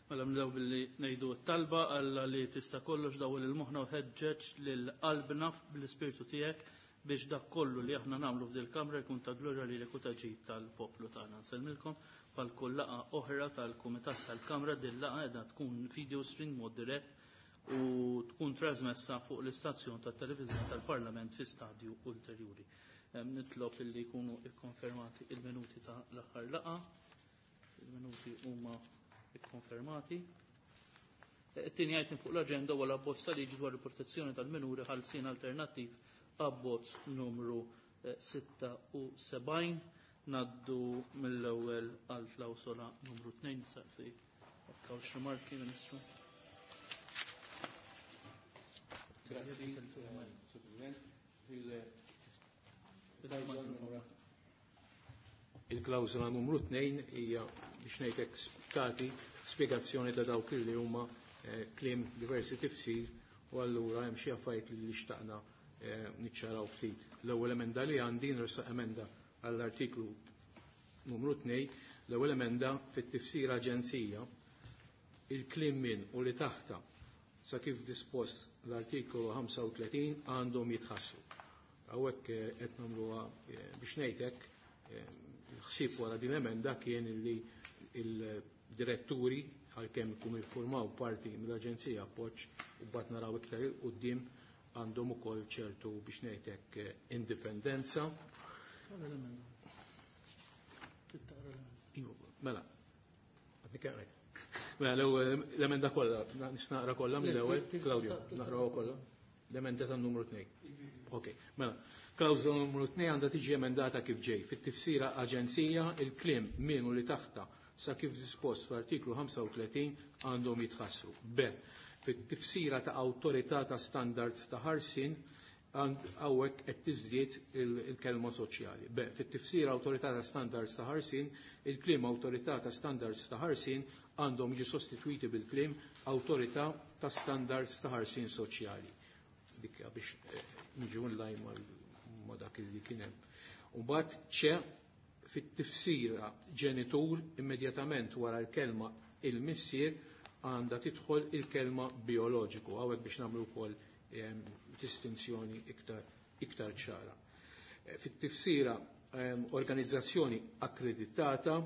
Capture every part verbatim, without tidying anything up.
Mela nibdew billi ngħidu t-talba Alla li tista' kollox dawwel il-moħħna u ħeġġeġ lil qalbna bl-ispirtu tiegħek biex dak kollu li aħna nagħmlu f'dil kamra jkun ta' glorja lilek u ta' ġid tal-poplu tagħna. Nsellmilkom bħal kull laqgħa oħra tal-Kumitat tal-Kamra din laqgħa qiegħda tkun video stream mod dirett u tkun trasmessa fuq l-istazzjon tat-televiżjoni tal-Parlament fi stadju ulterjuri. Nitlob illi jkunu ikkonfermati il-minuti ta' l-aħħar laqgħa. Il-minuti huma ikkonfermati. It-tieni item fuq l-aġenda huwa l-abbozz ta' liġi dwar il-protezzjoni tal-minuri ħalsien alternattiv abbozz numru sitta u sebgħin. Naddu mill-ewwel għal klawsola numru tnejn. Saqsi jekk hawnx rimarki, Ministru. Grazzi, Sur President. Il-klawsola numru tnejn hija biex ngħidlek tagħti spjegazzjoni ta' dawk li huma kliem diversi tifsir u allura hemm xi affarijiet li xtaqna niċċaraw ftit. L-ewwel emenda li għandi nressaq emenda għall-artiklu numru tnejn, l-ewwel emenda fit-tifsir aġenzija il-kliem minn u li taħta sa kif dispost l-artikolu ħamsa u tletin għandhom jitħassu. Hawnhekk qed nagħmluha biex ngħidlek il-ħsieb wara din l-emenda kien li il-diretturi għalkemm ikunu jiffurmaw parti mill-Aġenzija Appoġġ u mbagħad naraw iktar il quddiem għandhom ukoll ċertu biex ngħidlek indipendenza. Iva, mela, għadni kemm ngħid. Mela, l-ewwel l-emenda kollha, nista' naqra kollha mill-ewwel, Claudio, naqrawha kollha. L-emenda tan numru tnejn. Ok, mela, klawżola numru tnejn għandha tiġi emendata kif ġej. Fit-tifsira aġenzija il-kliem min u li taħta sa kif dispost fl-artiklu ħamsa u tletin għandhom jitħassru. B. Fit-tifsira ta' awtorità ta' standards ta' ħarsien hawnhekk qed tiżdied il-kelma soċjali. B. Fit-tifsira awtorità ta' standards ta' ħarsien, il-kliem awtorità ta' standards ta' ħarsien għandhom jiġu sostitwiti bil-kliem awtorità ta' standards ta' ħarsien soċjali. Dik biex niġu nlajn ma' dak li kien hemm. U mbagħad ċe fit-tifsira ġenitur immedjatament wara l-kelma il-missier għandha tidħol il-kelma bioloġiku, hawnhekk biex nagħmlu wkoll distinzjoni iktar, iktar ċara. Fit-tifsira organizzazzjoni akkreditata,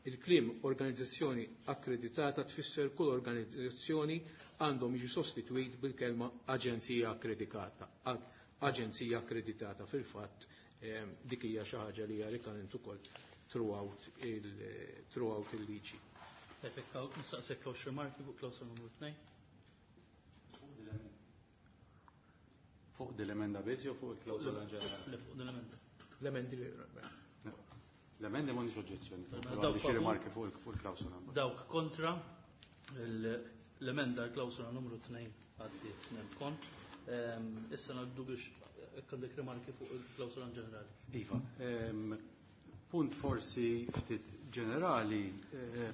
il-kliem organizzazzjoni akkreditata tfisser kull organizzazzjoni għandhom jiġu sostitwit bil-kelma aġenzija akkreditata. Aġenzija akkreditata fil-fatt dik hija xi ħaġa li hija rikurrent ukoll throughout il-, throughout il-liġi. Nistaqsek hawn xi rimarki fuq klawsola numru tnejn. Fuq dil-emenda biss jew fuq il-klawsola in ġenerali? Le, fuq dil-emenda. L-emendi li L-emendi m'għandix oġġezzjoni. Dawk Għandi xi favur. rimarki fuq il-, fuq il-klawsola. Dawk kontra l-emenda l-klawsola numru tnejn għaddiet nemkon. Ehm, issa ngħaddu biex hekk għandek rimarki fuq il-klawsola in ġenerali. Iva, ehm, punt forsi ftit ġenerali, eh,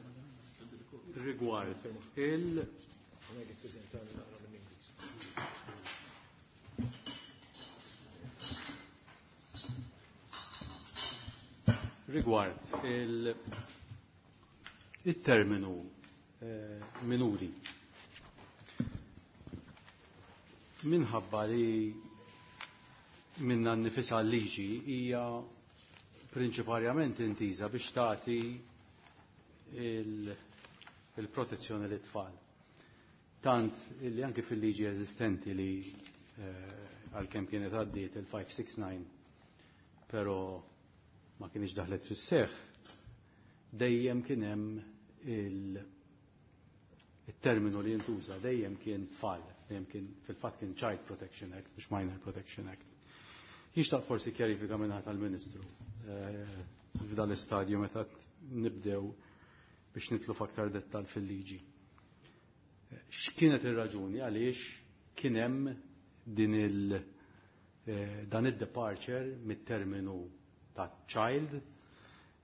rigward il- Rigward il-, il-terminu, eh, minuri. Minħabba li minna nifisa l-liġi hija prinċiparjament intiża biex tagħti il-, il-protezzjoni lit-tfal. Tant li anke fil-liġi eżistenti li, eh, għalkemm kienet għaddiet il-five six nine, però ma kienx daħlet fis-seħħ, dejjem kien hemm il-, il-terminu li jintuża, dejjem kien tfal, dejjem kien fil-fatt kien Child Protection Act, mhux Minor Protection Act. Jixtaq forsi kjarifika minn tal-Ministru, eh, f'dan l-istadju meta nibdew biex nitlu f'aktar dettal fil-liġi. X'kienet ir-raġuni għaliex kien hemm din il-, eh, dan id-departure mit-terminu ta' child,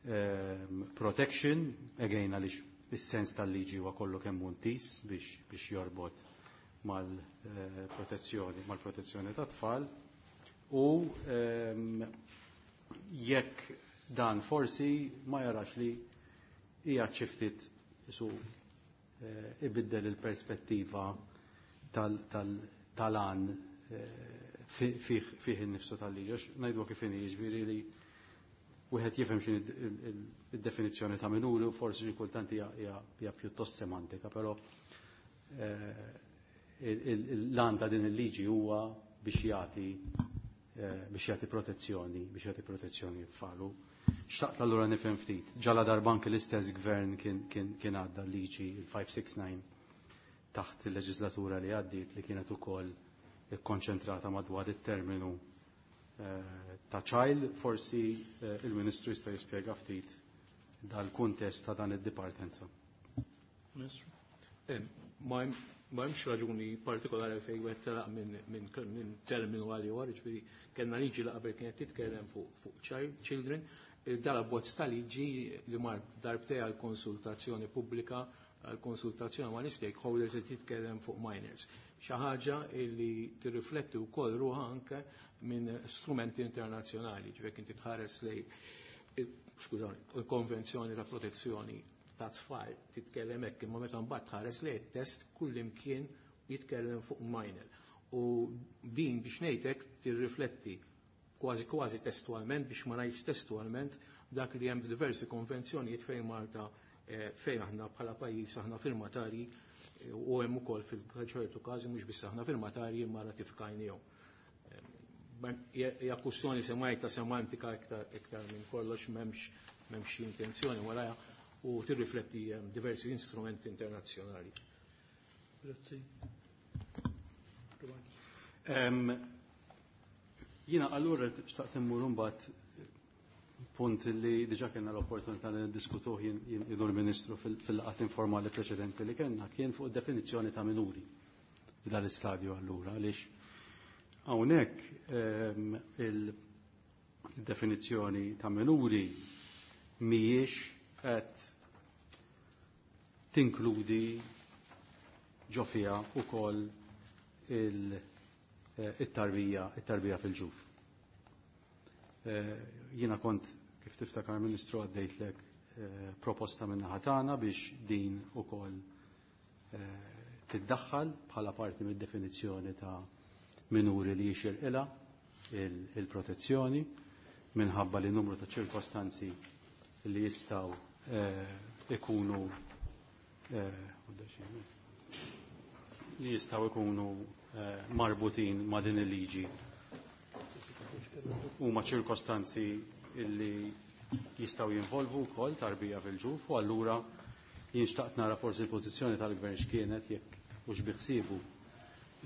eh, protection, again għaliex is-sens tal-liġi huwa kollu kemm hu ntis biex, biex jorbot mal-protezzjoni, mal-protezzjoni tat-tfal, u, ehm, jekk dan forsi ma jarax li hija xi ftit isu, ibiddel il-perspettiva tal-għan fih innifsu tal-liġi. Ngħidu kif inhi, jiġifieri li wieħed jifhem x'inhi id-definizzjoni ta' minuri u forsi xi kultant hija pjuttost semantika, però l-għan ta' din il-liġi huwa biex jagħti biex jagħti protezzjoni, biex jagħti protezzjoni tfalu. Xtaqt allura nifhem ftit. Ġala darba anke l-istess gvern kien għadda l-liġi il-five six nine taħt il-leġislatura li għaddiet li kienet ukoll ikkonċentrata madwar it-terminu ta' child, forsi il-Ministru jista' jispjega ftit dal-kuntest ta' dan id-dipartenza. Ministru? Ma hemmx raġuni partikolari fejn wieħed telaq minn terminu għal ieħor, jiġifieri kellna liġi li qabel kienet titkellem fuq children, dal-abbozz ta' liġi li mar darbtej għal konsultazzjoni pubblika, għal konsultazzjoni ma' stakeholders li titkellem fuq minors. Xi ħaġa li tirrifletti wkoll ruħha anke minn strumenti internazzjonali, ġifieri inti tħares lej skużani, il-Konvenzjoni ta' Protezzjoni ta' Tfal titkellem hekk, imma meta mbagħad tħares lej it-test kullimkien jitkellem fuq minor. U din biex ngħidlek tirrifletti kważi kważi testualment, biex ma ngħidx testualment, dak li hemm f'diversi konvenzjonijiet fejn Malta fejn aħna bħala pajjiż aħna firmatarji u hemm ukoll fil-ċertu każi mhux biss aħna firmatarji imma ratifikajnihom. Hija kwistjoni semajta semantika iktar iktar minn kollox, m'hemmx m'hemmx intenzjoni warajha u tirrifletti diversi instrumenti internazzjonali. Grazzi. Jiena allura xtaqt immur imbagħad punt li diġà kellna l-opportunità li niddiskutuh jien u l-Ministru fil-laqgħat informali preċedenti li kellna kien fuq definizzjoni ta' minuri f'dal-istadju allura, għaliex hawnhekk il-definizzjoni ta' minuri mhijiex qed tinkludi ġo fiha wkoll il-tarbija it-tarbija fil-ġuf. Jiena kont, kif tiftakar Ministru, għaddejtlek proposta minn naħa tagħna biex din ukoll tiddaħħal bħala parti mid-definizzjoni ta' minuri li jixirqilha il-protezzjoni minħabba li numru ta' ċirkostanzi li jistgħu ikunu li jistgħu ikunu marbutin ma' din il-liġi huma ċirkostanzi illi jistgħu jinvolvu wkoll tarbija fil-ġuf, u allura jien xtaqt nara forsi l-pożizzjoni tal-gvern x'kienet jekk hux biħsiebu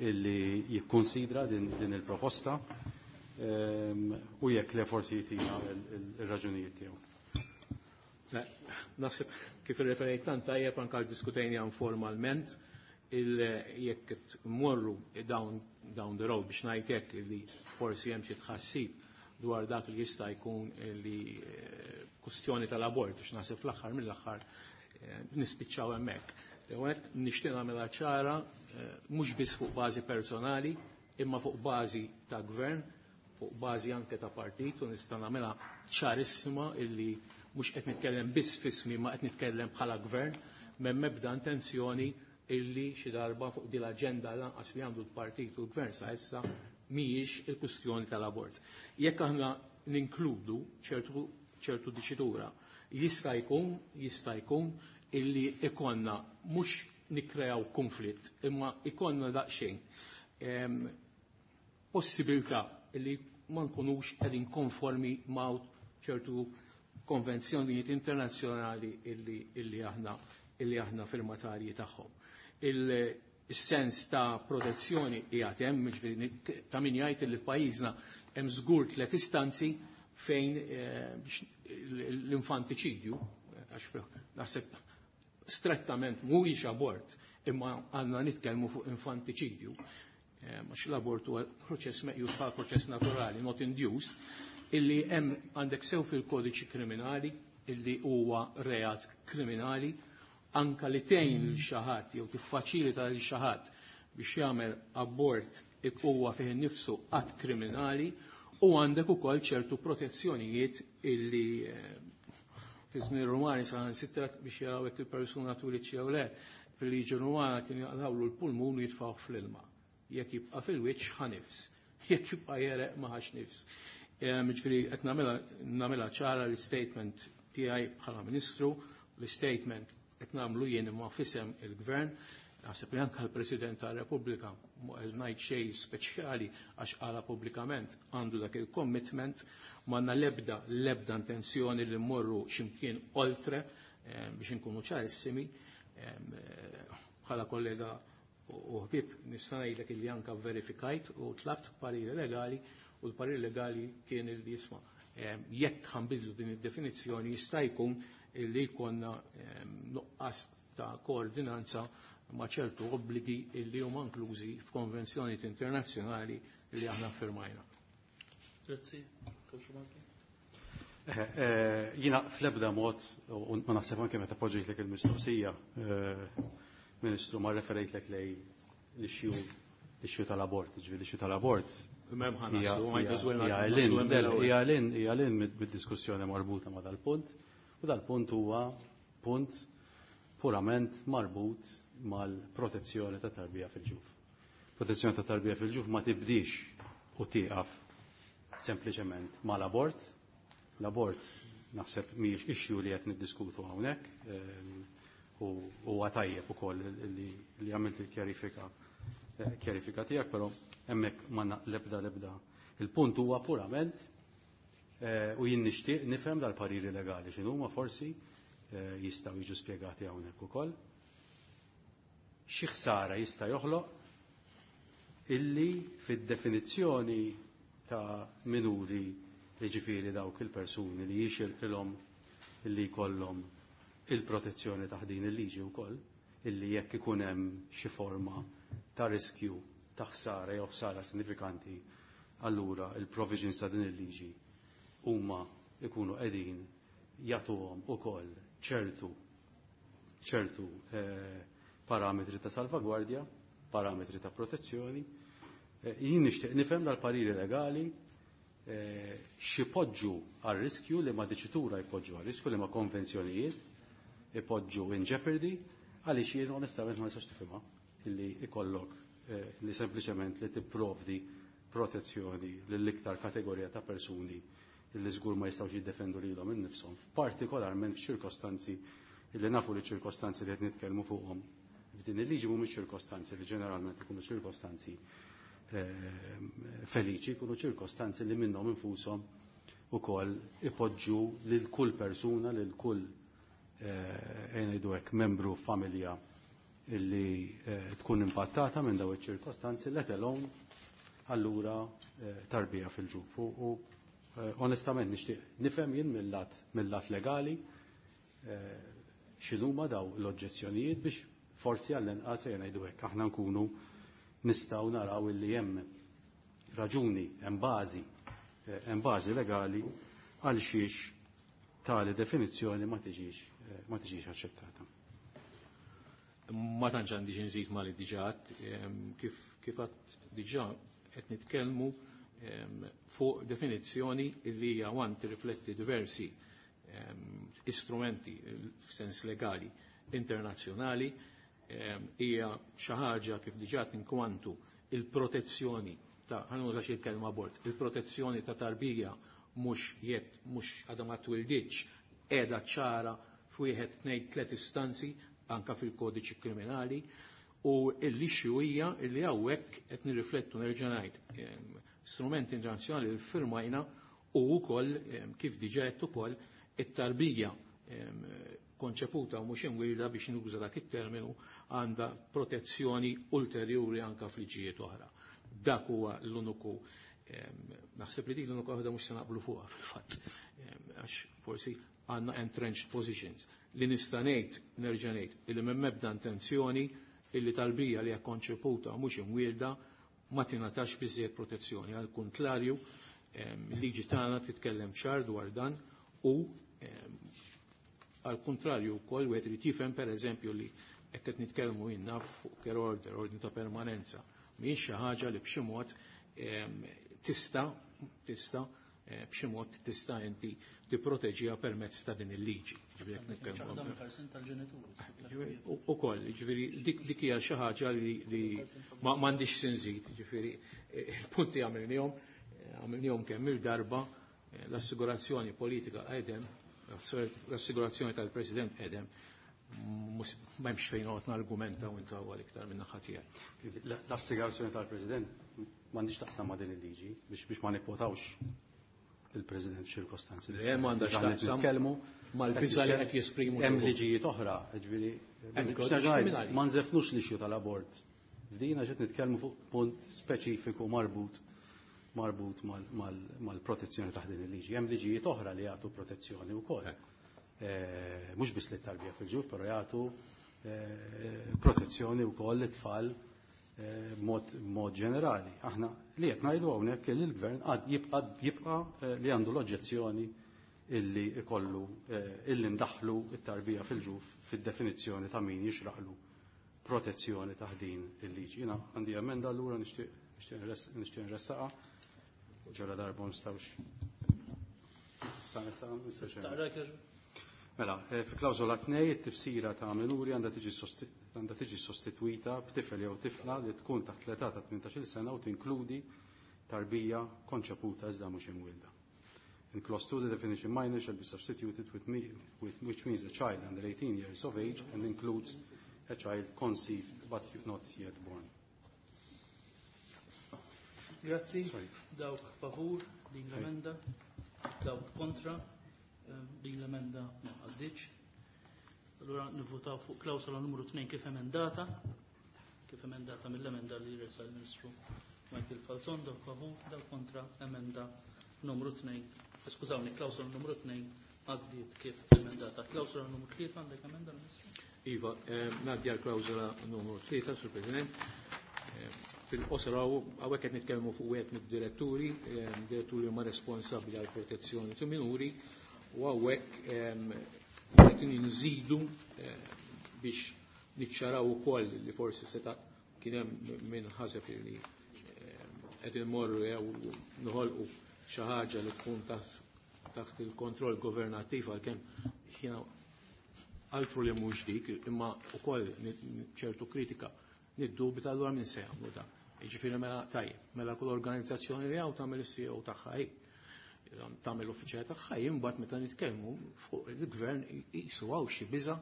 illi jikkonsidra din, din il-proposta u jekk le forsi jtina il-raġunijiet tiegħu. Naħseb kif irreferejt tant tajjeb anke diskutejna formalment jekk morru down, down the road biex ngħid hekk li forsi hemm xi tħassib dwar dak li jista' jkun li kustjoni tal-abort, biex naħseb fl-aħħar mill-aħħar nispiċċaw hemmhekk. Għet nixtieq nagħmilha ċara mhux biss fuq bażi personali, imma fuq bażi ta' gvern, fuq bażi anke ta' partit, u nista' nagħmilha ċarissima illi mhux qed nitkellem biss fismi ma qed nitkellem bħala gvern, m'hemm ebda intenzjoni illi xi darba fuq din l-aġenda lanqas li għandu l-partit u l-gvern sa issa mhijiex il-kwistjoni tal-abort. Jekk aħna ninkludu ċertu ċertu diċitura, jista' jkun jista' jkun illi ikonna mhux nikkreaw konflitt, imma ikonna daqsxejn possibilità illi ma nkunux qegħdin konformi ma' ċertu konvenzjonijiet internazzjonali illi, illi aħna illi aħna firmatarji tagħhom. Il-sens ta' protezzjoni qiegħed hemm, jiġifieri ta' min jgħid li f'pajjiżna hemm żgur tliet istanzi fejn l-infantiċidju, għax naħseb strettament mhuwiex abort, imma għandna nitkellmu fuq infantiċidju, għax l-abort huwa proċess meqjus bħala proċess naturali, not induced, illi hemm għandek sew fil-kodiċi kriminali, illi huwa reat kriminali, anka li tgħin lil xi ħadd jew tiffaċilita lil xi ħadd biex jagħmel abort huwa fih innifsu att kriminali, u għandek ukoll ċertu protezzjonijiet illi fi żmien Rumani saħansitra biex jaraw jekk il-persuna tuliċ jew le, Fil-liġi Rumana kien jaqlawlu l-pulmun u jitfgħuh fl-ilma. Jekk jibqa' fil-wiċċ ħa nifs. Jekk jibqa' jereq ma ħax nifs. Ġifieri qed nagħmilha ċara l-statement tiegħi bħala Ministru, l-statement qed nagħmlu jien imma f'isem il-Gvern, naħseb li anke l-President tar-Repubblika mhu qed ngħid xejn speċjali għax qala pubblikament għandu dak il-commitment, m'għandna l-ebda l-ebda intenzjoni li mmorru x'imkien oltre biex inkunu ċarissimi. Bħala kollega u ħbib nista' ngħidlek illi anke verifikajt u tlabt pariri legali u l-pariri legali kien illi jisma' jekk ħanbidlu din id-definizzjoni jista' jkun illi jkollna nuqqas ta' koordinanza ma' ċertu obbligi illi huma inklużi f'konvenzjonijiet internazzjonali li aħna firmajna. Grazzi. Jiena fl-ebda mod, u ma naħseb anke meta poġġejtlek il-mistoqsija, Ministru, ma referejtlek lej l-issue l-issue tal-abort, ġifieri l-issue tal-abort. Hija lin mid-diskussjoni marbuta ma' dal-punt, u dal-punt huwa punt purament marbut mal-protezzjoni ta' tarbija fil-ġuf. Protezzjoni ta' tarbija fil-ġuf ma tibdix u tieqaf sempliċement mal-abort. L-abort naħseb mhijiex issue li qed niddiskutu hawnhekk, u huwa tajjeb ukoll li għamilt il-kjarifika kjarifika tiegħek, però hemmhekk ma lebda lebda. Il-punt huwa purament u jien nixtieq nifhem dal-pariri legali x'inhuma forsi jistgħu jiġu spjegati hawnhekk ukoll. Xi ħsara jista' joħloq illi fid-definizzjoni ta' minuri, jiġifieri dawk il-persuni li jixirqilhom illi jkollhom il-protezzjoni ta' din il-liġi wkoll, illi jekk ikun hemm xi forma ta' riskju ta' ħsara jew ħsara sinifikanti, allura il-provisions ta' din il-liġi huma ikunu qegħdin jagħtuhom ukoll ċertu ċertu eh, parametri ta' salvagwardja, parametri ta' protezzjoni. Eh, jien nixtieq nifhem dal-pariri legali eh, x'ipoġġu għal riskju li ma diċitura jpoġġu għal riskju li ma konvenzjonijiet ipoġġu in jeopardy, għaliex jien onestament ma nistax tifhimha illi ikollok eh, li sempliċement li tipprovdi protezzjoni lill-iktar kategorija ta' persuni illi żgur ma jistgħux jiddefendu lilhom innifshom, partikolarment f'ċirkostanzi illi nafu li ċirkostanzi li qed nitkellmu fuqhom f'din il-liġi mhumiex ċirkostanzi li ġeneralment ikunu ċirkostanzi feliċi, ikunu ċirkostanzi li minnhom infushom ukoll ipoġġu lil kull persuna, lil kull ngħidu hekk membru familja illi tkun impattata minn dawn iċ-ċirkostanzi, let alone allura tarbija fil-ġuf. U onestament nixtieq nifhem jien mill-lat mill-lat legali x'inhuma daw l-oġġezzjonijiet biex forsi għall-inqas ngħidu hekk aħna nkunu nistgħu naraw illi hemm raġuni, hemm bażi, hemm bażi legali għal xiex tali definizzjoni ma tiġix ma tiġix aċċettata. Ma tantx għandi xi nżid ma li diġà kif kif għadd diġà qed nitkellmu fuq definizzjoni li hija wan tirrifletti diversi istrumenti f'sens legali internazzjonali, hija xi ħaġa kif diġà tinkwantu il-protezzjoni ta' ħanuża xi kelma abort, il-protezzjoni ta' tarbija mhux jett mhux għadha ma twilditx qiegħda ċara f'wieħed tnejn tliet istanzi anka fil-kodiċi kriminali, u l-issue hija li hawnhekk qed nirriflettu nerġa' ngħid strumenti internazzjonali li firmajna u wkoll kif diġà qed ukoll it-tarbija konċeputa u mhux imwielda biex nuża dak it-terminu għandha protezzjoni ulterjuri anka f'liġijiet oħra. Dak huwa l-uniku naħseb li dik l-uniku waħda mhux se naqblu fuqha fil-fatt, għax forsi għandna entrenched positions. Li nista' ngħid, nerġa' ngħid, illi m'hemm ebda intenzjoni illi tarbija li hija konċeputa mhux imwielda ma tingħatax biżżejjed protezzjoni. Għal kontrarju, il-liġi tagħna titkellem ċar dwar dan u għal kontrarju wkoll wieħed irid jifhem pereżempju li hekk qed nitkellmu jien naf fuq care order, ordni ta' permanenza, mhijiex xi ħaġa li b'xi mod tista' tista' b'xi mod tista' inti tipproteġiha permezz ta' din il-liġi. Ukoll, jiġifieri dik hija xi ħaġa li m'għandix sinżid, jiġifieri il-punti għamilnihom, għamilnihom kemm il-darba l-assigurazzjoni politika qegħdem, l-assigurazzjoni tal-President qegħdem, m'hemmx fejn noqgħod nargumenta u intawwal iktar minn naħa tiegħi. L-assigurazzjoni tal-President m'għandix taqsam ma' din il-liġi biex ma nikkwotawx il-President f'ċirkostanzi. Le m'għandax taqsam mal-biża' li qed jesprimu. Hemm liġijiet oħra, jiġifieri ma nżefnux l-issue tal-abort. F'dina ġiet nitkellmu fuq punt speċifiku marbut marbut mal-protezzjoni taħt din il-liġi. Hemm liġijiet oħra li jagħtu protezzjoni wkoll. Mhux biss lit-tarbija fil-ġuf, però jagħtu protezzjoni wkoll lit-tfal b'mod ġenerali. Aħna li qed ngħidu hawnhekk li l-gvern għad jibqa' jibqa' li għandu l-oġġezzjoni illi ikollu illi ndaħlu t-tarbija fil-ġuf fid-definizzjoni ta' min jixraqlu protezzjoni taħt din il-liġi. Jiena għandi emenda allura nixtieq nixtieq nressaqha ġara darba ma nistgħux. Mela, fi klawżola tnej it-tifsira ta' minuri għandha tiġi għandha tiġi sostitwita b'tifel jew tifla li tkun taħt l-età ta' tmintax-il sena u tinkludi tarbija konċeputa iżda mhux imwielda. In clause two, the definition minor shall be substituted with, me, with which means a child under eighteen years of age and includes a child conceived but not yet born. Grazzi. Dawk favur din l-emenda, dawk kontra din l-emenda ma għaddiċ. Allura nivvotaw fuq klawsola numru tnejn kif emendata, kif emendata mill-emenda li resa l-Ministru Michael Falzon, dawk favur, dawk kontra emenda numru tnejn. Skużawni, klawsola numru tnejn għaddiet kif emendata. Klawsola numru tlieta għandek emenda l-Ministru? Iva, ngħaddi għal klawsola numru tlieta, Sur President. Fil-qosor hawnhekk qed nitkellmu fuq wieħed mid-diretturi, diretturi huma responsabbli għall protezzjoni ta' minuri, u hawnhekk qed nżidu biex niċċaraw ukoll li forsi seta' kien hemm min ħaseb li qed immorru jew noħolqu xi ħaġa li tkun taħt il-kontroll governattiv għalkemm jiena altru li mhux dik, imma wkoll ċertu kritika niddubita allura min se jagħmlu dan. Jiġifieri mela tajjeb, mela kull organizzazzjoni li hawn tagħmel is-C E O tagħha hi, tagħmel l-uffiċjali tagħha hi, imbagħad meta nitkellmu fuq il-gvern qisu hawn xi biża'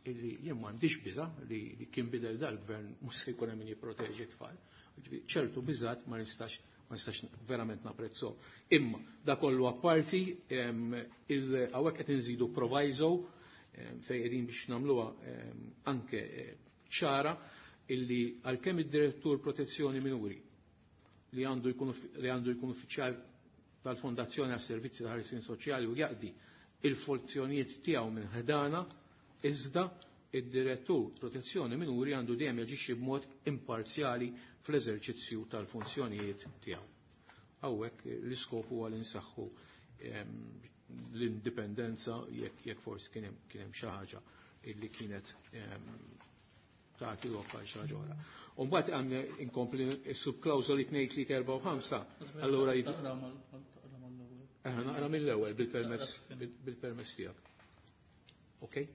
illi jien m'għandix biża' li kien bidel dal-gvern mhux se jkun hemm min jipproteġi t-tfal. Ċertu biżgħat ma nistax ma nistax verament napprezzo. Imma da kollu apparti hawnhekk qed inżidu proviso fejn qegħdin biex nagħmluha anke ċara illi għalkemm id-direttur protezzjoni minuri li għandu jkun li għandu jkun uffiċjal tal-Fondazzjoni għas Servizzi ta' Ħarsien Soċjali u jaqdi il-funzjonijiet tiegħu minn ħdana, iżda id-direttur protezzjoni minuri għandu dejjem jaġixxi b'mod imparzjali fl-eżerċizzju tal-funzjonijiet tiegħu. Hawnhekk l-iskop huwa li nsaħħu l-indipendenza jekk jekk forsi kien hemm kien hemm xi ħaġa illi kienet tagħti lok għal xi ħaġa oħra. U mbagħad għandna inkompli s-subklawżoli tnejn tlieta erba' u ħamsa. Allura naqra mill-ewwel bil-permess bil-permess tiegħek. Okej?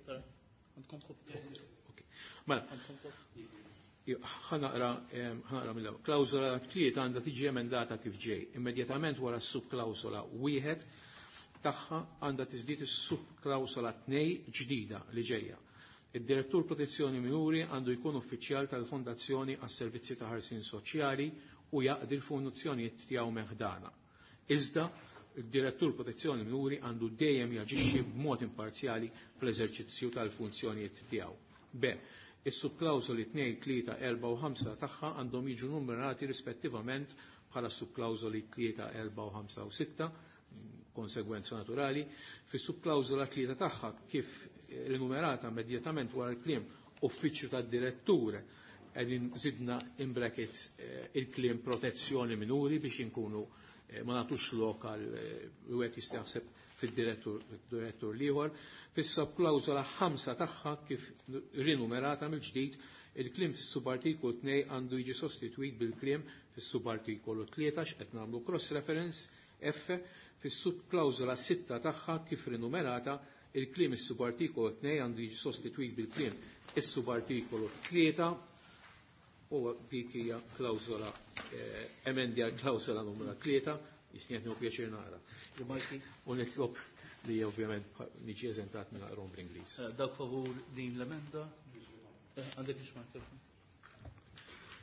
Mela, ħanaqra ħanaqra mill-ewwel. Klawżola tlieta għandha tiġi emendata kif ġej. Immedjatament wara s-subklawżola wieħed tagħha għandha tiżdied is-subklawżola tnejn ġdida li ġejja. Id-direttur protezzjoni minuri għandu jkun uffiċjal tal-Fondazzjoni għas Servizzi ta' Ħarsien Soċjali u jaqdi l-funzjonijiet tiegħu meħdana. Iżda, id-direttur protezzjoni minuri għandu dejjem jaġixxi b'mod imparzjali fl-eżerċizzju tal-funzjonijiet tiegħu. B. Is-subklawżoli tnejn, tlieta, erba' u ħamsa tagħha għandhom jiġu numerati rispettivament bħala subklawżoli tlieta, erba' u ħamsa u sitta, konsegwenza naturali. Fis-subklawżola tlieta tagħha kif rinumerata immedjatament wara l-kliem uffiċċju tad-direttur qegħdin żidna in brackets il-kliem protezzjoni minuri biex inkunu ma nagħtux lok għal wieħed jista' jaħseb fid-direttur direttur l-ieħor. Fis-subklawżola ħamsa tagħha kif rinumerata mill-ġdid il-kliem fis-subartikolu tnejn għandu jiġi sostitwit bil-kliem fis-subartikolu tlieta x'qed nagħmlu cross reference F. Fis-subklawżola sitta tagħha kif rinumerata, il-kliem is-subartikolu tnejn għandu jiġi sostitwit bil-kliem is-subartikolu tlieta u dik hija klawżola eh, emendi għal klawżola numru tlieta, jisni qed pjaċir naqra. Il-Malti u nitlob li ovvjament niġi eżentat minn naqrom bl-Ingliż. Eh, Dak favur din l-emenda? Eh, Għandek ix mikrofon.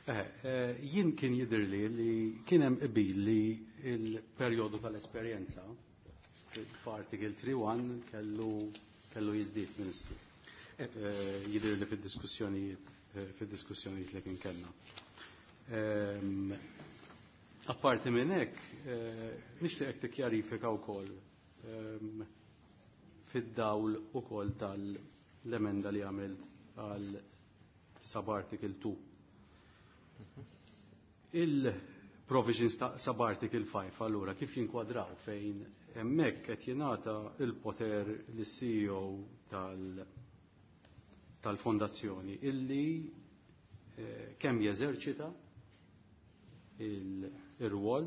Eh, jien kien jidhirli li kien hemm qbil li l-perjodu tal-esperjenza f'article three one kellu kellu jiżdied, Ministru. Eh, jidhirli fid-diskussjonijiet fid-diskussjonijiet li kien kellna. Ehm, Apparti minn hekk, nixtieqek tikkjarifika wkoll ehm, fid-dawl ukoll tal-emenda li għamilt għal sub-article two. Il-provisions ta' sub-article five allura kif jinkwadraw fejn hemmhekk qed jingħata il-poter lis-C E O tal-, tal-fondazzjoni illi, eh, kemm jeżerċita il-rwol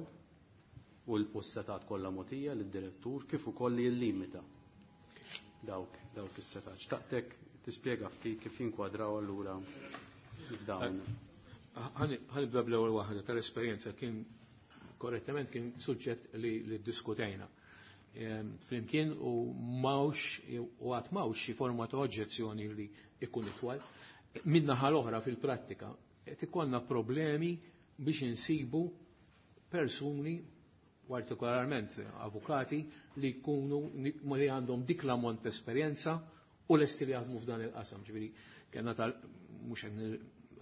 u l-setat kollha mogħtija lid-direttur kif ukoll li jillimita dawk, dawk is-setat. Xtaqtek tispjega ftit kif jinkwadraw allura f'dawn. Ħanibda bl-ewwel waħda tal-esperjenza kien korrettament kien suġġett li, li ddiskutejna. Ehm, flimkien u mawx u għad mawx xi forma ta' oġġezzjoni li ikun itwal. Min-naħa l-oħra fil-prattika qed ikollna problemi biex insibu persuni, partikolarment avukati, li jkunu li għandhom dik l-ammont ta' esperjenza u lesti li jaħdmu f'dan il-qasam. Ġifieri kellna tal mhux qed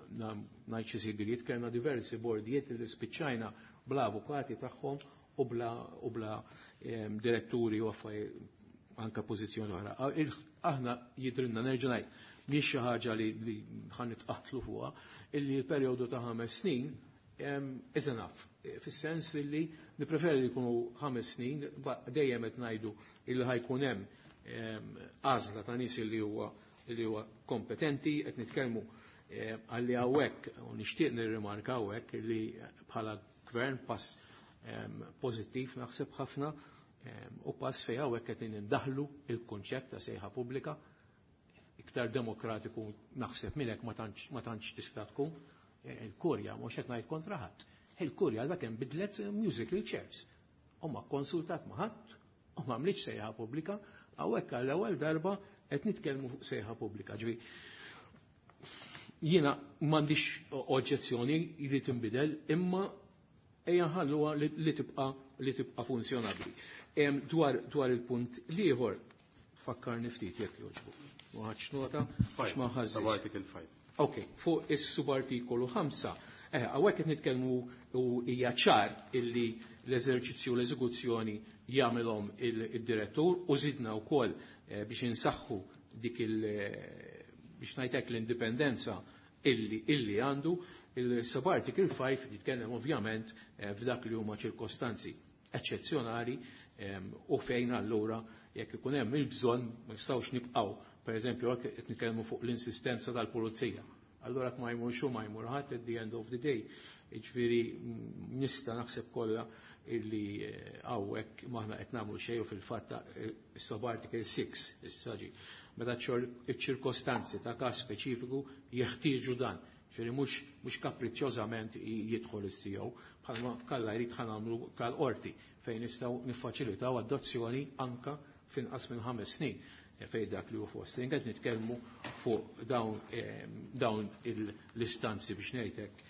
ngħid xi sigriet, kellna diversi bordijiet li spiċċajna bla avukati tagħhom u bla, u bla, ehm, diretturi u affarijiet anka pożizzjoni oħra. A-, il-, aħna jidrinna nerġa' ngħid mhix xi ħaġa li, li ħa nitqatlu fuqha, illi l-perjodu ta' ħames snin, ehm, is enough. Fis-sens li nippreferi li jkunu ħames snin, ba-, dejjem qed ngħidu illi ħajkun hemm, ehm, għażla ta' nies li huwa, li huwa kompetenti, qed nitkellmu, eh, għalli hawnhekk u nixtieq nirrimarka hawnhekk li bħala gvern pass, ehm, pożittiv naħseb ħafna, ehm, u pass fejn hawnhekk qed nindaħlu il-kunċett ta' sejħa pubblika iktar demokratiku naħseb minn hekk ma tantx, ma tantx tista' tkun. Eh, il-Kurja mhux qed ngħid kontra ħadd. Il-Kurja għalhekk hemm bidlet musical chairs. U ma konsultat ma' ħadd, u ma għamlitx sejħa pubblika, hawnhekk għall-ewwel darba qed nitkellmu fuq sejħa pubblika. Ġifieri jiena m'għandix oġġezzjoni li tinbidel, imma ejja nħalluha li, li tibqa', li tibqa' funzjonabbli. Em, dwar, dwar il-punt l-ieħor, fakkarni ftit jekk jogħġbu. Ma ħadx nota, għax ma ħażix. Sub-article five. Ok, fuq is-subartikolu ħamsa, eh, hawnhekk qed nitkellmu u hija ċar illi l-eżerċizzju u l-eżekuzzjoni jagħmilhom il-direttur u żidna wkoll, eh, biex insaħħu dik il-, eh, biex ngħidlek l-indipendenza illi, illi għandu. Il-subarticle five jitkellem ovvjament, eh, f'dak li huma ċirkostanzi eċċezzjonali, ehm, u fejn allura jekk ikun hemm il-bżonn ma nistgħux nibqgħu, pereżempju jekk qed nitkellmu fuq l-insistenza tal-pulizija. Allura jekk ma jmurx hu ma jmur ħadd at the end of the day. Jiġifieri nista' naħseb kollha illi, eh, hawnhekk maħna qed nagħmlu xejn u fil-fatt, eh, is-subarticle six issa ġi. Meta ċ-ċirkostanzi ta' każ speċifiku jeħtieġu dan. Ġifieri mhux, mhux kapriċċjożament i-, jidħol is-C E O, bħalma kalla jrid ħa nagħmlu tal-qorti fejn nistgħu niffaċilitaw adozzjoni anka finqas minn ħames snin fejn dak li hu fostering. Qed nitkellmu fuq dawn, eh, dawn il-, l-istanzi biex ngħidlek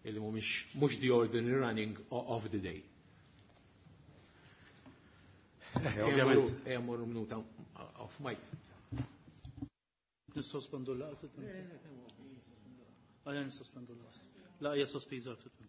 illi mhumiex mhux the ordinary running o-, of the day. Eh, ovvjament. Ejja mmorru minuta off mic. Nissospendu l-laqgħa ftit minuti. Ejja nissospendu l-laqgħa. Laqgħa hija sospiża ftit minuti.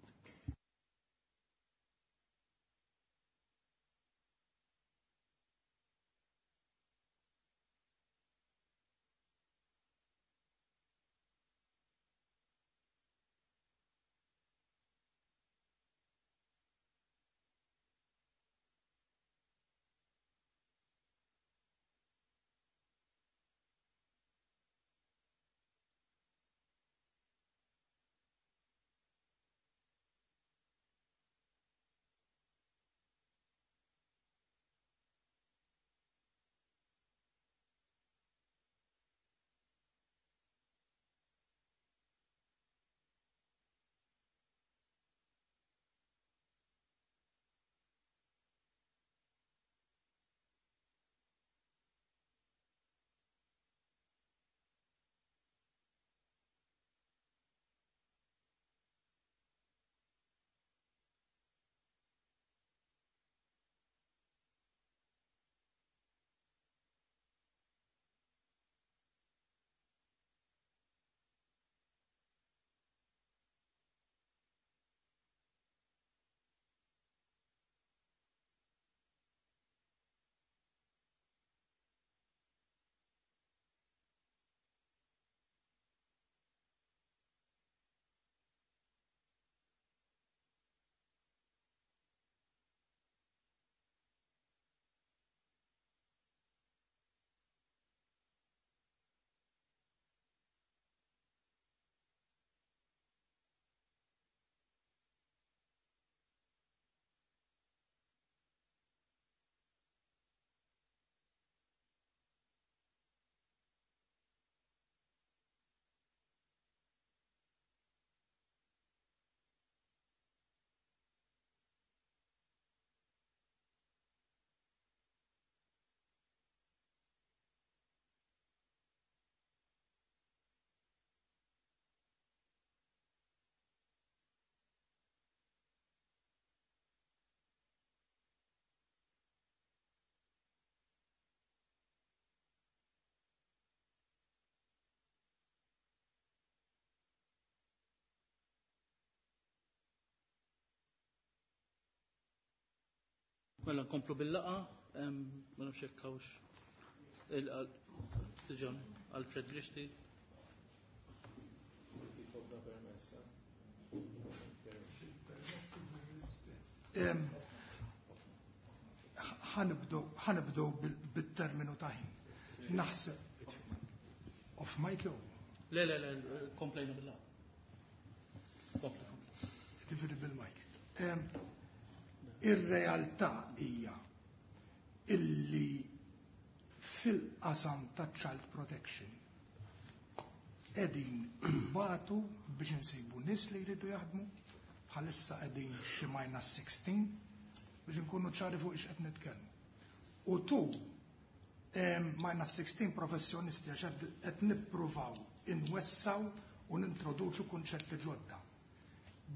Mela nkomplu bil-laqgħa, ma nafx hekk hawnx Alfred Grixti. Ħanibdew bit-terminu ta' ħin. Naħseb off mic jew? Le, le, le, komplejna bil-laqgħa. Kompli, kompli. Ġifieri bil-mic. Ir-realtà hija illi fil-qasam ta' child protection qegħdin batu biex insibu nies li jridu jaħdmu, bħalissa qegħdin xi minus sixteen biex inkunu ċari fuq ix qed nitkellmu. U tu minus sixteen professjonisti għax qed nippruvaw inwessaw u nintroduċu kunċetti ġodda.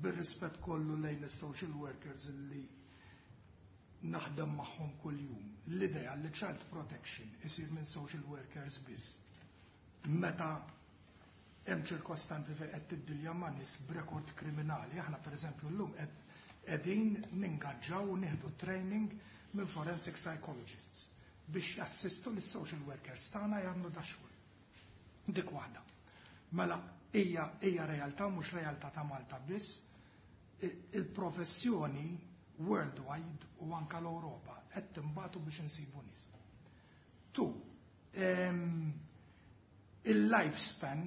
Bir-rispett kollu lejn is-social workers li naħdem magħhom kuljum. L-idea li child protection isir minn social workers biss. Meta hemm ċirkostanzi fejn qed tiddilja ma' nies b'rekord kriminali, aħna pereżempju llum qegħdin ningaġġaw u nieħdu training minn forensic psychologists biex jassistu lis social workers tagħna jagħmlu da xogħol. Dik waħda. Mela hija hija realtà mhux realtà ta' Malta biss, il-professjoni worldwide u anka l-Ewropa qed timbatu biex insibu nies. Tu, il-lifespan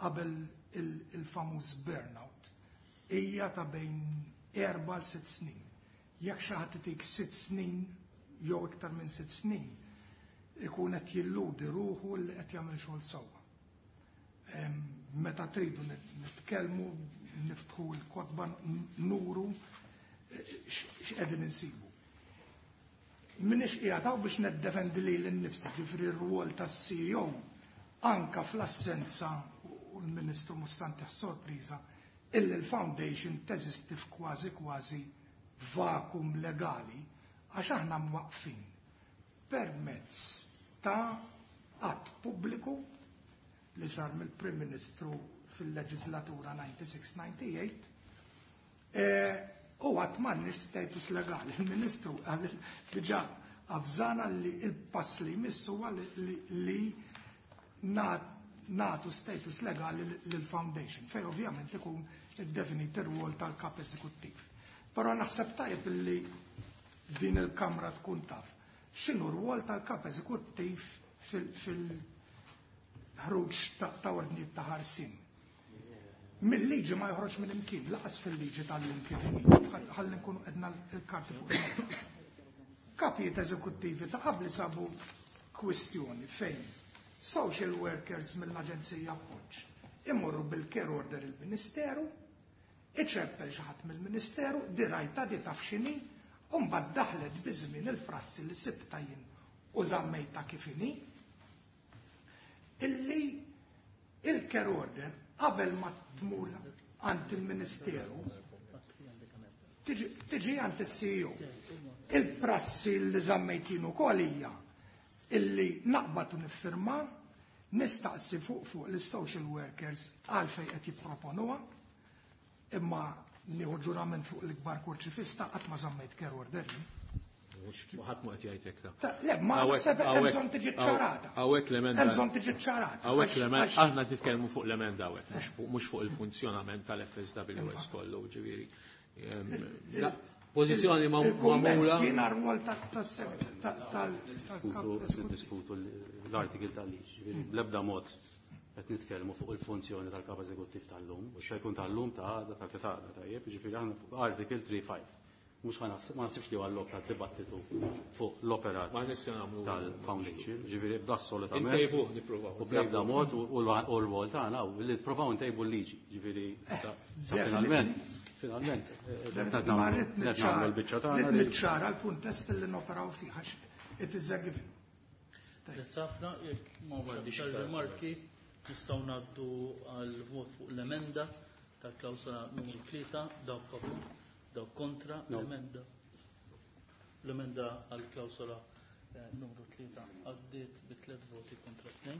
qabel il-famuż burnout hija ta' bejn erba' l sitt snin. Jekk xi ħadd itik sitt snin jew iktar minn sitt snin, ikun qed jilludi ruħu li qed jagħmel xogħol sewwa. Meta tridu nitkellmu, niftħu l-kotba, nuru x'qegħdin insibu. Minix qiegħed hawn biex neddefendi lili nnifsi, ġifieri r-rwol tas-C E O anka fl-assenza u l-Ministru mhux sorpriża illi l-foundation teżisti f'kważi kważi vakum legali għax aħna mwaqfin permezz ta' att pubbliku li sar mill-Prim Ministru fil-leġislatura ninety-six ninety-eight, u għat m'għandniex status legali. Il-Ministru għal diġà avżana li il-pass li jmissu huwa li nagħtu status legali lill-foundation, fej ovvjament ikun iddefinit ir-rwol tal-kap eżekuttiv. Però naħseb tajjeb li din il-Kamra tkun taf x'inhu r-rwol tal-kap eżekuttiv fil-ħruġ ta' ordnijiet ta' ħarsien. Mill-liġi ma joħroġ minn imkien, laqas fil-liġi tal-lum kif inhi, ħalli nkunu qedna l-karti fuq il-mejda. Kapijiet eżekuttivi ta' qabli sabu kwistjoni fejn social workers mill-Aġenzija Appoġġ imorru bil-care order il-Ministeru, iċeppel xi ħadd mill-Ministeru, dirajta di taf x'inhi, u mbagħad daħlet biż-żmien il-prassi li sibta jien u żammejta kif inhi, illi il-care order qabel ma tmur għand il-Ministeru tiġi għand is-C E O. Il-prassi li żammejtin ukoll hija illi naqbad u niffirma, nistaqsi fuq fuq lis-social workers għalfejn qed jipproponuha, imma nieħu ġurament fuq l-ikbar kurċifista qatt ma żammejt care order jien. Ħadd ma qed jgħid hekk ta'. Ta' le, ma Hawnhekk, naħseb hemm hawnhekk, bżonn tiġi ċarata. hawnhekk l-emenda. Hemm bżonn tiġi ċarata. Hawnhekk l-emenda, Għax- aħna nitkellmu fuq l-emenda hawnhekk, mhux fuq, mhux fuq il-funzjonament tal-F S W S kollu, ġifieri. Ehm, la, pożizzjoni ma- Il-kumment magħmula. kien rwol ta', ta', ta', tal-, tal-kap Diskutu, eżekuttiv. Diskutu l-artikil tal-liġi, ġifieri bl-ebda mod qed nitkellmu fuq il-funzjoni tal-kap eżekuttiv tal-lum, u xejn tal-lum ta' għada, ta' għada, tajjeb, ġifieri aħna fuq article three five. Mhux ħa naħseb, ma naħsibx li huwa l-lok tad-dibattitu fuq l-operat Ma nistgħu nagħmlu tal-foundation, ġifieri b'assolutament. Intejbuh nippruvaw. U bl-ebda mod u l-rwol tagħna u li nippruvaw ntejbu l-liġi, ġifieri sa Definitely. finalment, finalment, eh, qed nagħmlu Ma rrid qed nagħmlu niċċara l-biċċa tagħna rrid li niċċara l-kuntest li noperaw fih għax it is a given. Grazzi ħafna, jekk ma m'għandix aktar rimarki, nistgħu ngħaddu għal vot fuq l-emenda tal-klawsola numru tlieta, dawk favur, dawk kontra, No. l-emenda. L-emenda għal klawsola, eh, numru tlieta għaddiet bi tliet voti kontra tnejn.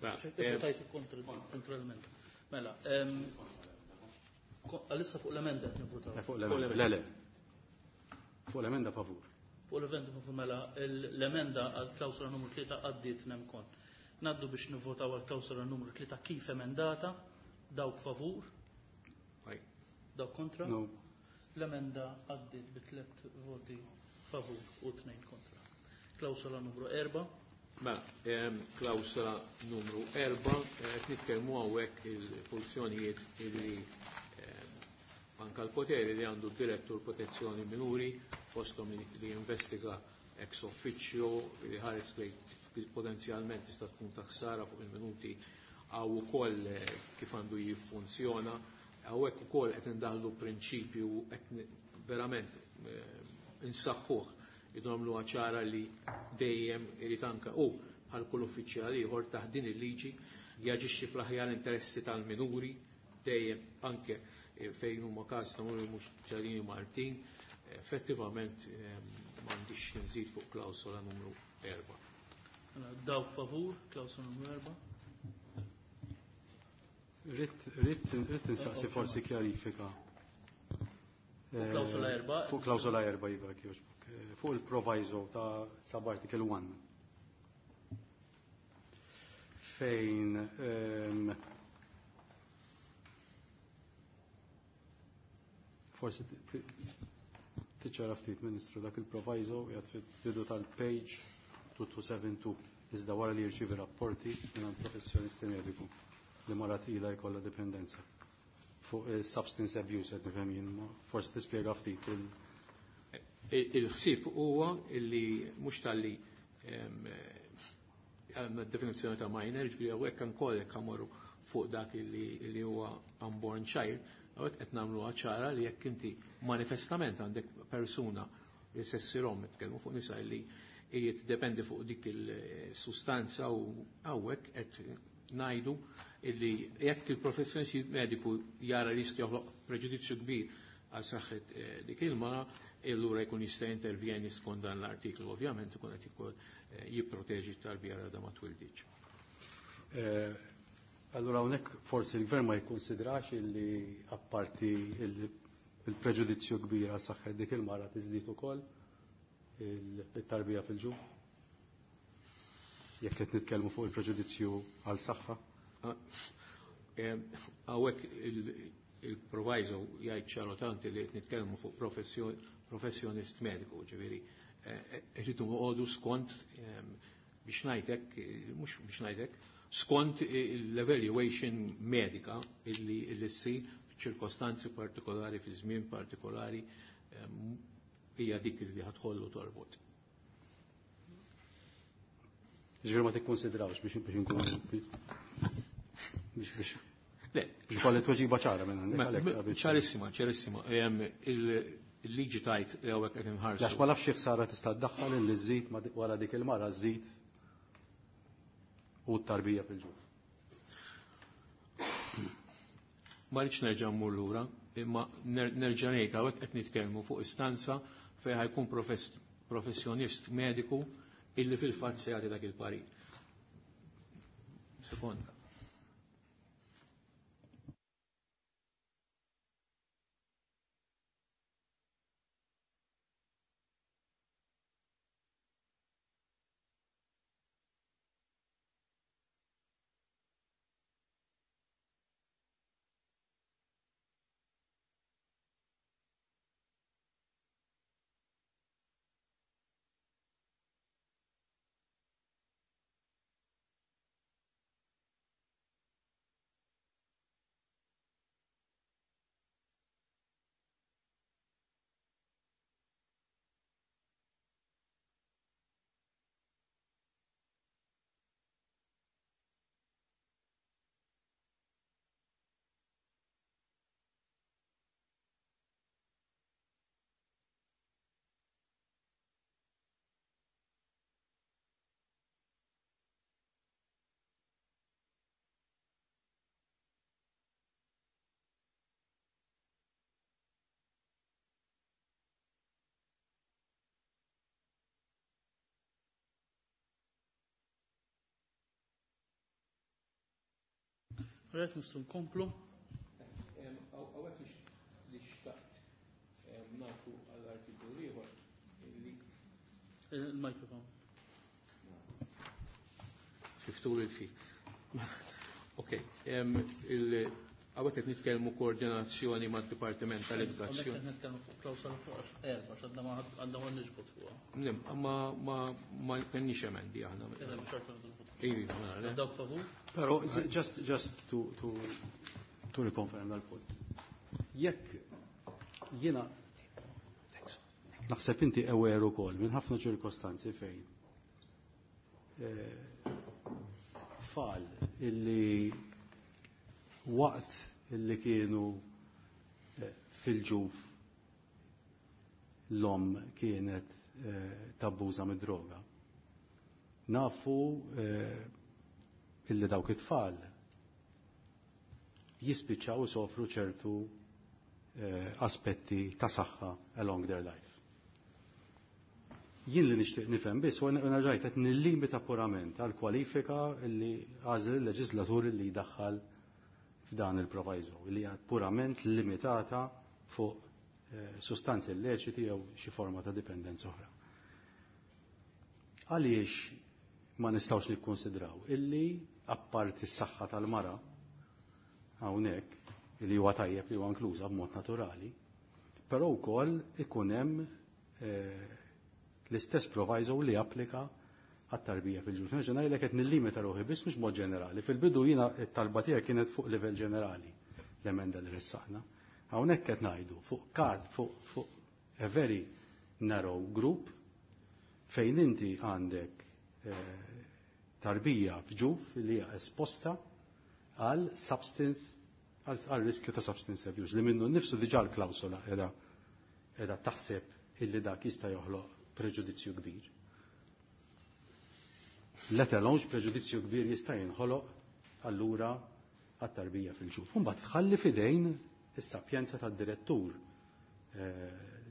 Mela, Xejn eh, tajtu kontra, kontra l-emenda. Mela, ehm, ko-, għalissa fuq l-emenda qed nivvutaw. Eh, fuq l-emenda, le, le. Fuq l-emenda favur. Fuq l-event mela l-emenda għal klawsola numru tlieta għaddiet nemkon. Naddu biex nivvotaw għal klawsola numru tlieta kif emendata, dawk favur, dawk kontra. No. L-emenda għaddiet bi tliet voti favur u tnejn kontra. Klawsola numru erba'. Mela, klawsola numru erba', qed nitkellmu hawnhekk il-funzjonijiet illi anka l-poteri li għandu d-direttur protezzjoni minuri, fosthom li jinvestiga ex officio, li ħares li potenzjalment tista' tkun ta' ħsara fuq il-minuti, għaw ukoll kif għandu jiffunzjona, hawnhekk ukoll qed indaħlu prinċipju qed verament insaħħuh, nagħmlu ċara li dejjem irid anke u bħal kull uffiċjal ieħor taħt din il-liġi jaġixxi fl-aħjar interessi tal-minuri dejjem anke fejn huma każ ta' mhux ċarini Martin, effettivament m'għandix nżid fuq klawsola numru erba'. Dawk favur, klawsola numru erba'. Ritt ritt insaqsi forsi kjarifika. Fuq klawsola erba'. Fuq klawsola erba' iva jogħġbok. Fuq il-proviso ta' sub-article one. Fejn forsi tiċċara ftit, Ministru, dak il-proviso jgħad fil-bidu tal-page two two seven two, iżda wara li jirċievi rapporti minn professjonisti mediku li mara tqila jkollha dipendenza fuq substance abuse qed nifhem jien, forsi tispjega ftit il- Il-ħsieb huwa li mhux talli għandna definizzjoni ta' minor, ġifieri hawnhekk ukoll jekk ħamorru fuq dak li huwa unborn child, hawnhekk qed nagħmluha ċara li jekk inti manifestament għandek persuna li se ssirhom nitkellmu fuq nisa li jiddependi fuq dik il-sustanza u hawnhekk qed ngħidu illi jekk il-professjonist mediku jara li jista' joħloq preġudizzju kbir għal saħħet dik il-mara, allura jkun jista' intervjeni skont dan l-artiklu, ovvjament ikun qed ikun jipproteġi t-tarbija għadha ma twildiċ. Allura hawnhekk forsi l-gvern ma jikkonsidrax illi apparti il-preġudizzju kbir għal saħħet dik il-mara tiżdied ukoll il-tarbija fil-ġuf? Jekk qed nitkellmu fuq il-preġudizzju għal saħħa? Hawnhekk il-proviso jgħid ċaru tanti li qed nitkellmu fuq professjonist mediku, ġifieri irridu noqogħdu skont biex ngħidlek, mhux biex ngħidlek, skont l-evaluation medika illi ssir f'ċirkostanzi partikolari, fi żmien partikolari, hija dik li ħadħollu torbot. Ġifieri ma tikkonsidrawx biex biex inkunu biex biex Le, biex kolli tweġiba ċara minn għandek. Ċarissima, ċarissima. Il-liġi tajt li hawnhekk qed inħarsu. Għax ma nafx xi ħsara tista' ddaħħal illi żżid wara dik il-mara żżid u t-tarbija fil-ġuf. Ma rridx nerġa' mmur lura, imma nerġa' ngħid hawnhekk qed nitkellmu fuq istanza fejn ħajkun professjonist mediku illi fil-fatt se jagħti dak il-parir. Sekonda. Rett nistgħu nkomplu. Hawnhekk li xtaqt nagħtu għall-artiklu ieħor li Il-mikrofon. Fiftur il-fi. Ok, hawnhekk qed nitkellmu koordinazzjoni mad-Dipartiment tal-Edukazzjoni. Hawnhekk qed nitkellmu fuq klawsola fuq erba' x'għadna ma għandna ma niġbod fuqha. Nem, ma ma ma kenniex emendi aħna. Iva, Dawk favur? Però just just to to to reconfirm dal-punt. Jekk jiena naħseb inti aware ukoll minn ħafna ċirkostanzi fejn tfal illi waqt illi kienu fil-ġuf l-om kienet tabbuża mid-droga. Nafu illi dawk it-tfal jispiċċaw sofru ċertu aspetti ta' saħħa along their life. Jien li nixtieq nifhem biss u nerġajt qed nillimita purament għal kwalifika li għażel il-leġislatur li jdaħħal f'dan il-proviso li hija purament limitata fuq sustanzi illeċiti jew xi forma ta' dipendenza oħra. Għaliex ma nistgħux nikkonsidraw illi apparti s-saħħa tal-mara hawnhekk li huwa tajjeb li huwa inkluża b'mod naturali, però wkoll ikun hemm l-istess proviso li applika għat-tarbija fil-ġuf. Nerġa' ngħidlek qed nillimita ruħi biss mhux mod ġenerali. Fil-bidu jiena t-talba tiegħek kienet fuq livell ġenerali l-emenda li ressaqna. Hawnhekk qed ngħidu fuq kard fuq fuq a very narrow group fejn inti għandek tarbija f'ġuf li hija esposta għal substance għal riskju ta' substance abuse li minnu nnifsu diġà l-klawsola qiegħda qiegħda taħseb illi dak jista' joħloq preġudizzju kbir. Let alone preġudizzju kbir jista' jinħoloq allura għat-tarbija fil-ġuf. Mbagħad tħalli fidejn is-sapjenza tad-direttur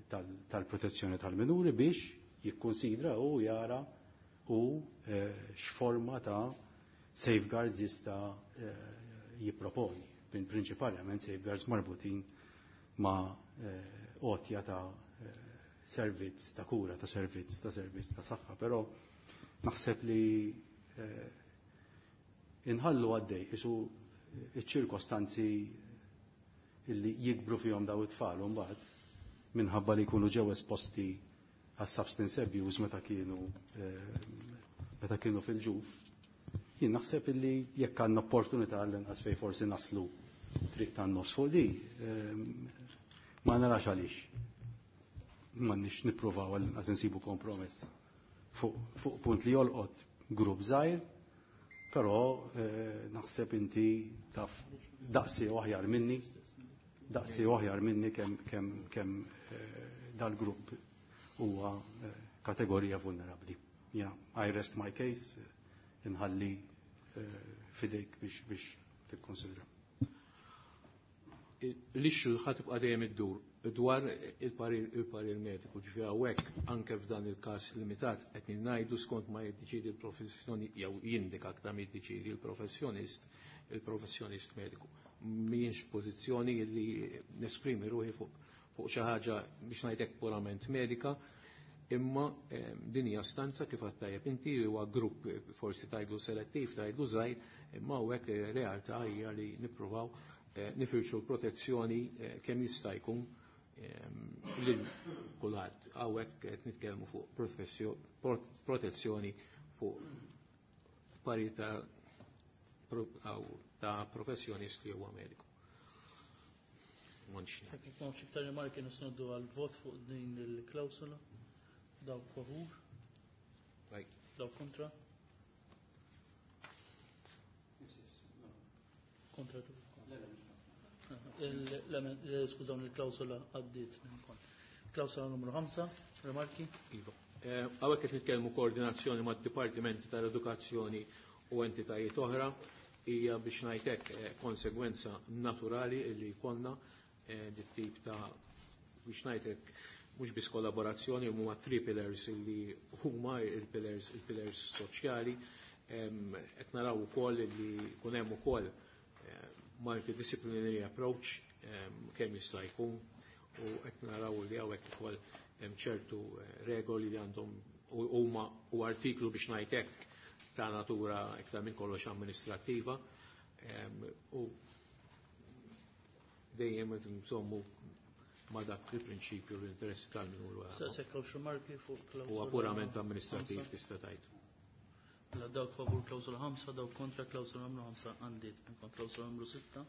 tal-protezzjoni tal-minuri biex jikkonsidra u jara u x'forma ta' safeguards jista' jipproponi. Prinċipalment safeguards marbutin ma' għotja ta' servizz ta' kura, ta' servizz, ta' servizz ta' saħħa, però naħseb li inħallu għaddej isu iċ-ċirkostanzi illi jikbru fihom daw it-tfal mbagħad minħabba li jkunu ġew esposti għas substance abuse meta kienu meta kienu fil-ġuf. Jien naħseb illi jekk għandna opportunità għall-inqas fejn forsi naslu triq tan-nofs fuq di, ma narax għaliex. M'għandniex nippruvaw għall-inqas insibu kompromess fuq punt li jolqot grupp żgħir, però naħseb inti taf daqsi u aħjar minni, daqsi u aħjar minni kemm kemm kemm dal-grupp huwa kategorija vulnerabbli. Yeah, I rest my case, inħalli fidejk biex biex tikkonsidra. L-issue ħa tibqa' dejjem iddur dwar il-parir mediku, ġifieri hawnhekk anke f'dan il-każ limitat qed ngħidu skont ma jiddeċiedi l-professjoni jew jindika aktar ma jiddeċiedi l-professjonist, il-professjonist mediku. Mhijiex pożizzjoni li nesprimi ruħi fuq fuq xi ħaġa biex ngħidlek purament medika, imma din hija stanza kif għedt tajjeb inti huwa grupp forsi tgħidlu selettiv, tgħidlu żgħir, imma hawnhekk realtà hija li nippruvaw nifirxu l-protezzjoni kemm jista' jkun lil kulħadd. Hawnhekk qed nitkellmu fuq protezzjoni fuq parir ta' ta' professjonist li huwa mediku. Jekk m'hawnx iktar rimarki nistgħu għal-vot fuq din il-klawsola. Dawk favur? Dawk kontra? Kontra tu. Skużawni, il-klawsola għaddiet. Klawsola numru ħamsa, rimarki? Iva. Hawnhekk qed nitkellmu koordinazzjoni mad-Dipartimenti tal-Edukazzjoni u entitajiet oħra, hija biex ngħidlek konsegwenza naturali li jkollna dit tip ta' biex ngħidlek mhux biss kollaborazzjoni huma three pillars li huma il-pillars il-pillars soċjali. Qed naraw ukoll li jkun hemm ukoll multidisciplinary approach kemm jista' jkun, u qed naraw li hawnhekk ukoll hemm ċertu regoli li għandhom Huma u artiklu biex ngħid hekk ta' natura iktar minn kollox amministrattiva u dejjem insommu ma' dak il-prinċipju l-interessi tal-minur huwa purament amministrattiv tista' tgħid. La dawk favur klawsola ħamsa, dawk kontra klawsola numru ħamsa għandiet. Klawsola numru sitta.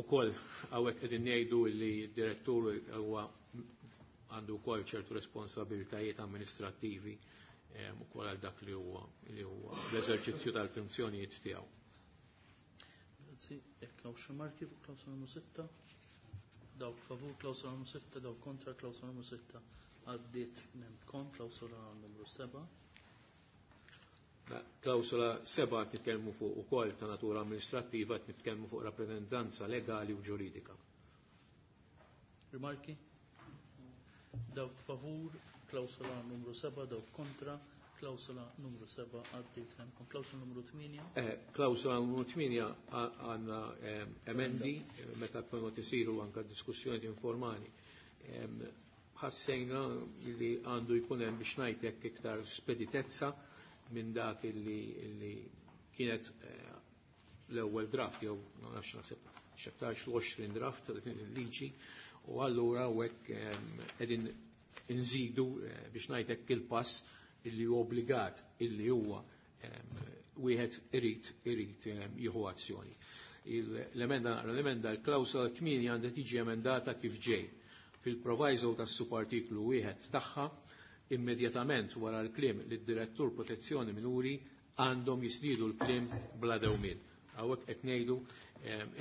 Ukoll hawnhekk qegħdin ngħidu li d-direttur huwa għandu wkoll ċertu responsabilitajiet amministrattivi ukoll għal dak li huwa li huwa l-eżerċizzju tal-funzjonijiet tiegħu. Grazzi, jekk hawn xi marki fuq klawsola numru sitta. Dawk favur klawsola numru sitta, dawk kontra klawsola numru sitta għaddiet nemkom klawsola numru seba'. Klawsola seba' qed nitkellmu fuq ukoll ta' natura amministrattiva, qed nitkellmu fuq rappreżentanza legali u ġuridika. Rimarki? Dawk favur klawsola numru seba', dawk kontra klawsola numru seba' għaddiet nemkom. Klawsola numru tmienja. Klawsola numru tmienja għandna emendi meta kienu isiru anke diskussjoni informali. Ħassejna li għandu jkun hemm biex ngħid hekk iktar speditezza minn dak illi kienet l-ewwel draft jew ma nafx naħseb x'aktarx l-għoxrin draft tal-liġi u allura hekk qegħdin inżidu biex ngħid hekk il-pass illi huwa obbligat illi huwa wieħed irid irid jieħu azzjoni. L-emenda naqra l-emenda l-klawsola tmienja għandha tiġi emendata kif ġej. Fil-proviso tas-subartiklu wieħed tagħha immedjatament wara l-kliem li d-direttur protezzjoni minuri għandhom jisnidu l-kliem bla dewmien. Hawnhekk qed ngħidu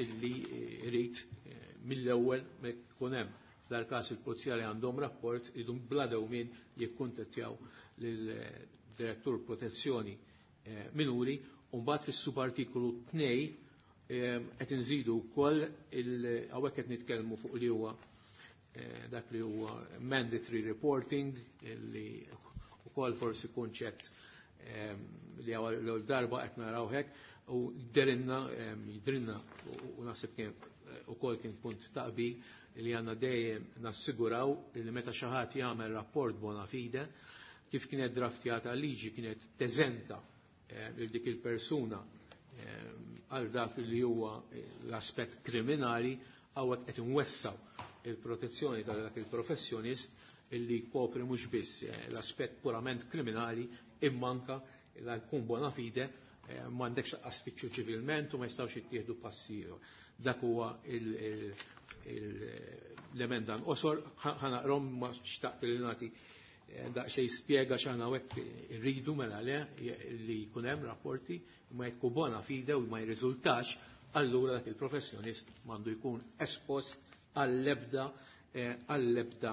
illi irid mill-ewwel ma jkun hemm f'dal-każ il-pulizija li għandhom rapport idum bla dewmien jikkuntattjaw lill-direttur protezzjoni minuri u mbagħad fis-subartikolu tnejn qed inżidu wkoll hawnhekk qed nitkellmu fuq li huwa dak li huwa mandatory reporting li wkoll forsi kunċett li l darba qed naraw hekk u jidrinna jidrinna u naħseb kien ukoll kien punt taqbil li għandna dejjem nassiguraw li meta xi ħadd jagħmel rapport bona fide kif kienet draftjata liġi kienet teżenta lil dik il-persuna għal dak li huwa l-aspett kriminali hawnhekk qed inwessaw il-protezzjoni ta' dak il-professjonist illi jkopri mhux biss l-aspett purament kriminali imma anke la jkun bona fide m'għandekx laqqas tfittxu ċivilment u ma jistgħux jittieħdu passi ieħor. Dak huwa l-emenda nqosor, ħanaqrom ma xtaqt li nagħti daqsxejn spjega x'aħna hawnhekk irridu mela le li jkun hemm rapporti ma jekk bona fide u ma jirriżultax allura dak il-professjonist m'għandu jkun espost għall-ebda għall-ebda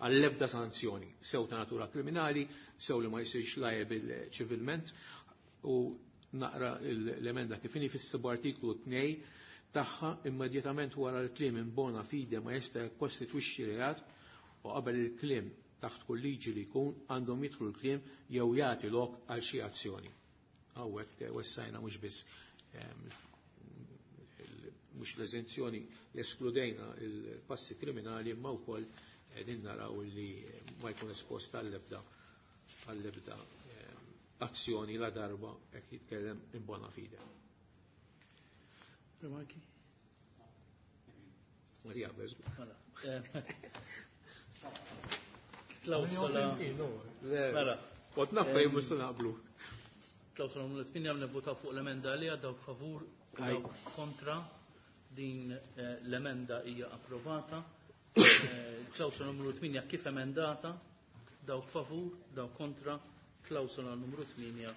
għall-ebda sanzjoni, sew ta' natura kriminali, sew li ma jsirx liable ċivilment. U naqra l-emenda kif inhi fis-subartiklu tnejn tagħha immedjatament wara l-kliem in bona fide ma jista' jikkostitwixxi reat u qabel il-kliem taħt kull liġi li jkun għandhom jidħlu l-kliem jew jagħti lok għal xi azzjoni. Hawnhekk wessajna mhux biss mhux l-eżenzjoni li eskludejna il-passi kriminali imma wkoll qegħdin naraw li ma jkun espost għall-ebda għall-ebda azzjoni la darba jekk jitkellem in bona fide. Rimarki? Marija, beżgu. Klawsola. Mela. Kont naf fejn mhux se naqblu. Klawsola numru tmienja nivvutaw fuq l-emenda għaliha, dawk favur, dawk kontra. Din l-emenda hija approvata. Klawsola numru tmienja kif emendata, dawk favur, dawk kontra. Klawsola numru tmienja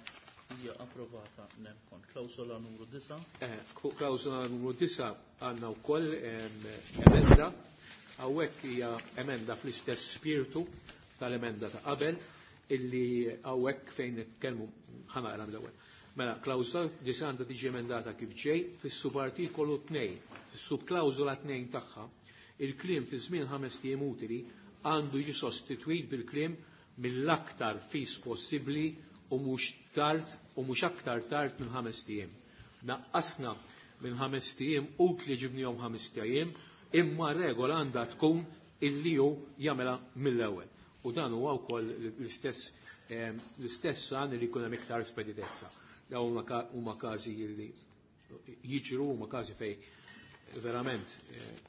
hija approvata nemkon. Klawsola numru disa'. Klawsola numru disa' għandna wkoll emenda. Hawnhekk hija emenda fl-istess spiritu tal-emenda ta' qabel illi hawnhekk fejn nitkellmu ħanaqra mill-ewwel. Mela, klawsola disa' għandha tiġi emendata kif ġej fis-subartikolu tnejn, fis-subklawsola tnejn tagħha, il-kliem fi żmien ħames ijiem utili għandu jiġi sostitwit bil-kliem mill-aktar fis possibbli u mhux tard u mhux aktar tard minn ħames ijiem. Naqqasna minn ħames ijiem utli ġibnihom ħames ijiem, imma regola għandha tkun illi hu jagħmilha mill-ewwel. U dan huwa wkoll l-istess l-istess għan li jkun hemm iktar speditezza. Dawn huma każi li jiġru, huma każi fejn verament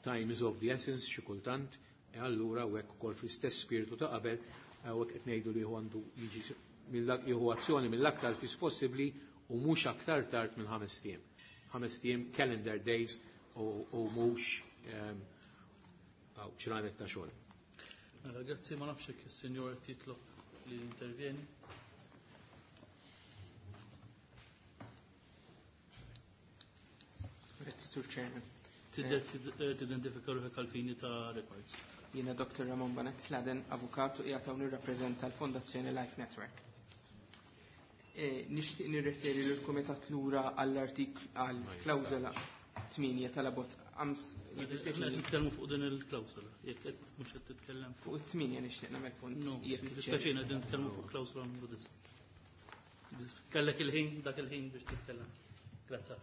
time is of the essence xi kultant, e allura u hekk ukoll fl-istess spiritu ta' qabel hawnhekk qed ngħidu li għandu jiġi jieħu azzjoni mill-aktar fis possibbli u mhux aktar tard minn ħames tiem. Ħames tiem calendar days u mhux ċranet ta' xogħol. Mela, grazzi, ma nafx jekk is-sinjor qed jitlob li intervjeni. Grazzi, Sur Chairman. Tidentifika ruħek għal-fini ta' records. Jiena Doktor Ramon Banet Sladen, avukat u qiegħed hawn nirrappreżenta l-Fondazzjoni Life Network. Nixtieq nirreferi lill-Kumitat lura għall-artiklu għall-klawżola tmienja tal-abbozz. Nitkellmu fuq din il-klawżola, jekk qed mhux qed titkellem fuq it-tmienja nixtieq nagħmel punt. Jiddispjaċina qegħdin nitkellmu fuq klawżola numru disa'. Kellek il-ħin, dak il-ħin biex titkellem. Grazzi.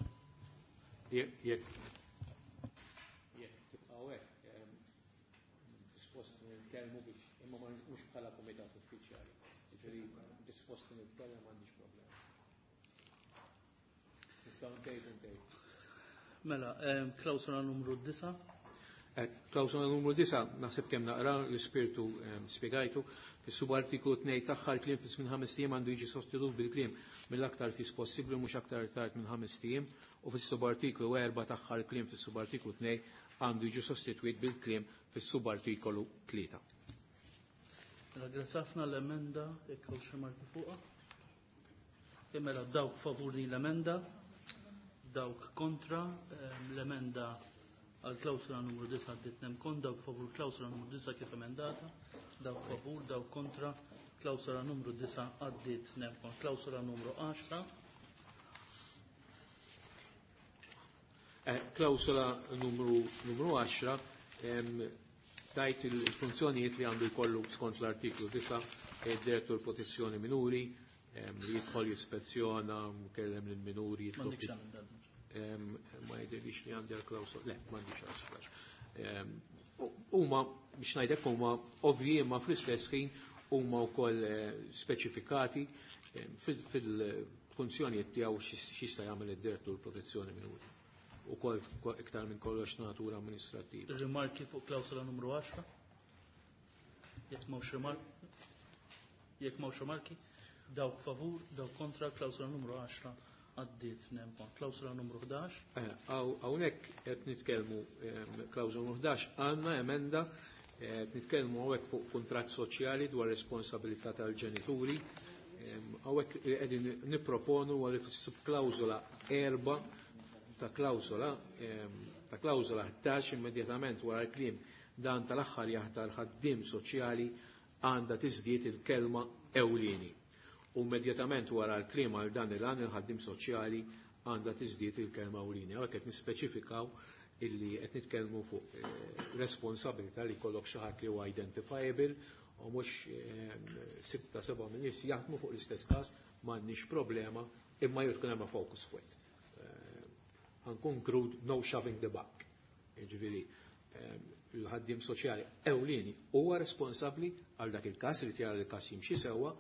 Jekk jekk tibqgħu hekk dispost nitkellmu biex imma mhux bħala kumitat uffiċjali. Jiġifieri dispost nitkellem m'għandix problema. Nistgħu ntejbu ntejbu. Mela, klawsola numru disa'. Klawsola numru disa' naħseb kemm naqra l-ispirtu spjegajtu. Fis-subartiklu tnejn tagħha l-kliem fis minn ħames tiem għandu jiġi sostitut bil-kliem mill-aktar fis possibbli mhux aktar tard minn ħames tiem, u fis-subartiklu erba' tagħha l-kliem fis-subartiklu tnejn għandu jiġi sostituit bil-kliem fis-subartikolu tlieta. Mela, grazzi ħafna l-emenda, jekk hawn xi marki fuqha. Mela, dawk favur din l-emenda, dawk kontra, l-emenda għal klawsula numru disa' għaddiet nemkon, dawk favur klawsula numru disa' kif emendata, dawk favur, dawk kontra, klawsula numru disa' għaddiet nemkon. Klawsula numru għaxra. Klawsula numru numru għaxra tajt il-funzjonijiet li għandu jkollu skont l-artiklu disa' id-direttur protezzjoni minuri, li jidħol jispezzjona, kellem lill-minuri, ma jidhirlix li għandi għal-klawsola, le, m'għandix għal-klawsola. Huma, biex ngħidlek, huma ovvji imma fl-istess ħin huma wkoll speċifikati fil-funzjonijiet tiegħu x'jista' jagħmel id-direttur protezzjoni minuri. Ukoll iktar minn kollox natura amministrattiva. Rimarki fuq klawsola numru għaxra? Jekk m'hawnx rimarki, jekk m'hawnx rimarki, dawk favur, dawk kontra, klawsola numru għaxra għaddiet nemkon. Klawsola numru ħdax. Hawnhekk qed nitkellmu klawsola numru ħdax għandna emenda qed nitkellmu hawnhekk fuq kuntratt soċjali dwar responsabilità tal-ġenituri. Hawnhekk qegħdin nipproponu għal subklawsola erba' ta' klawsola ta' klawsola ħdax immedjatament wara l-kliem dan tal-aħħar jaħtar ħaddiem soċjali għandha tiżdied il-kelma ewlieni. U immedjatament wara l-kliem għal dan il-għan il-ħaddiem soċjali għandha tiżdied il-kelma ewlieni. Hawnhekk qed nispeċifikaw illi qed nitkellmu fuq responsabilità li jkollok xi ħadd li huwa identifiable u mhux sitta seba' minn nies jaħdmu fuq l-istess każ, m'għandniex problema, imma jrid tkun hemm focus point. Ħankun crude, no shoving the buck. Jiġifieri il-ħaddiem soċjali ewlieni huwa responsabbli għal dak il-każ li tjara l-każ jimxi sewwa,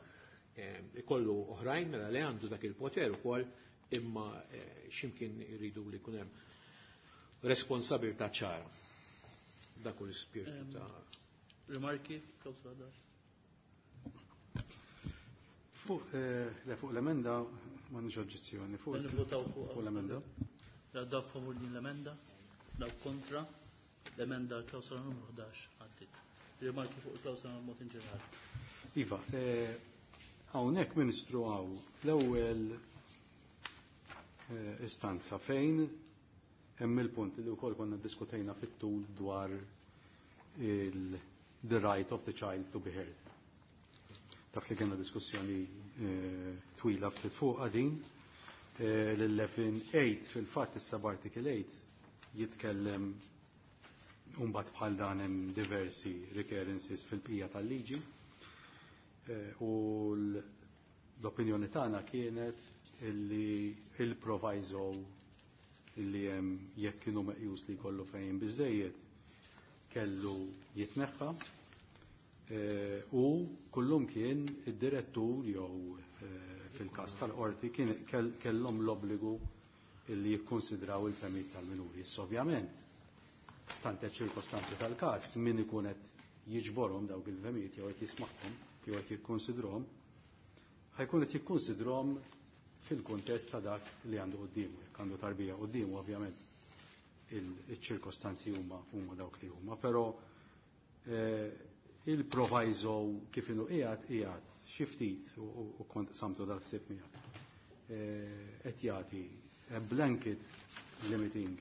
ikollu oħrajn mela li għandu dak il-poter ukoll, imma x'imkien iridu li jkun hemm responsabilità ċara. Dak hu l-ispirtu ta' Rimarki, klawsola ħdax. Fuq fuq l-emenda m'għandix oġġezzjoni. Fuq fuq l-emenda. Dawk favur din l-emenda, dawk kontra, l-emenda klawsola numru ħdax għaddiet. Rimarki fuq il-klawsola mod in ġenerali. Iva, hawnhekk Ministru hawn l-ewwel istanza fejn hemm il-punt li wkoll konna ddiskutejna fit-tul dwar il the right of the child to be heard. Taf li kellna diskussjoni twila ftit fuq din. L-eleven eight fil-fatt is-sub-article eight jitkellem mbagħad bħal dan hemm diversi recurrences fil-bqija tal-liġi. U l-opinjoni tagħna kienet illi il-proviso illi hemm jekk kienu meqjus li jkollu fejn biżejjed kellu jitneħħa u kullum kien id-direttur jew fil-każ tal-qorti kien kellhom l-obbligu li jikkonsidraw il-fehmiet tal-minuri. Issa ovvjament, stante ċirkostanzi tal-każ, min ikun qed jiġborhom dawk il-fehmiet jew qed jismagħhom jew qed jikkonsidrhom, ħajkun qed jikkonsidrhom fil-kuntest ta' dak li għandu quddiemu. Jekk għandu tarbija quddiemu ovvjament il-ċirkostanzi huma huma dawk li huma, però il-proviso kif inhu qiegħed qiegħed xi ftit u kont samtu dal-ħsieb miegħek. Qed jagħti blanket limiting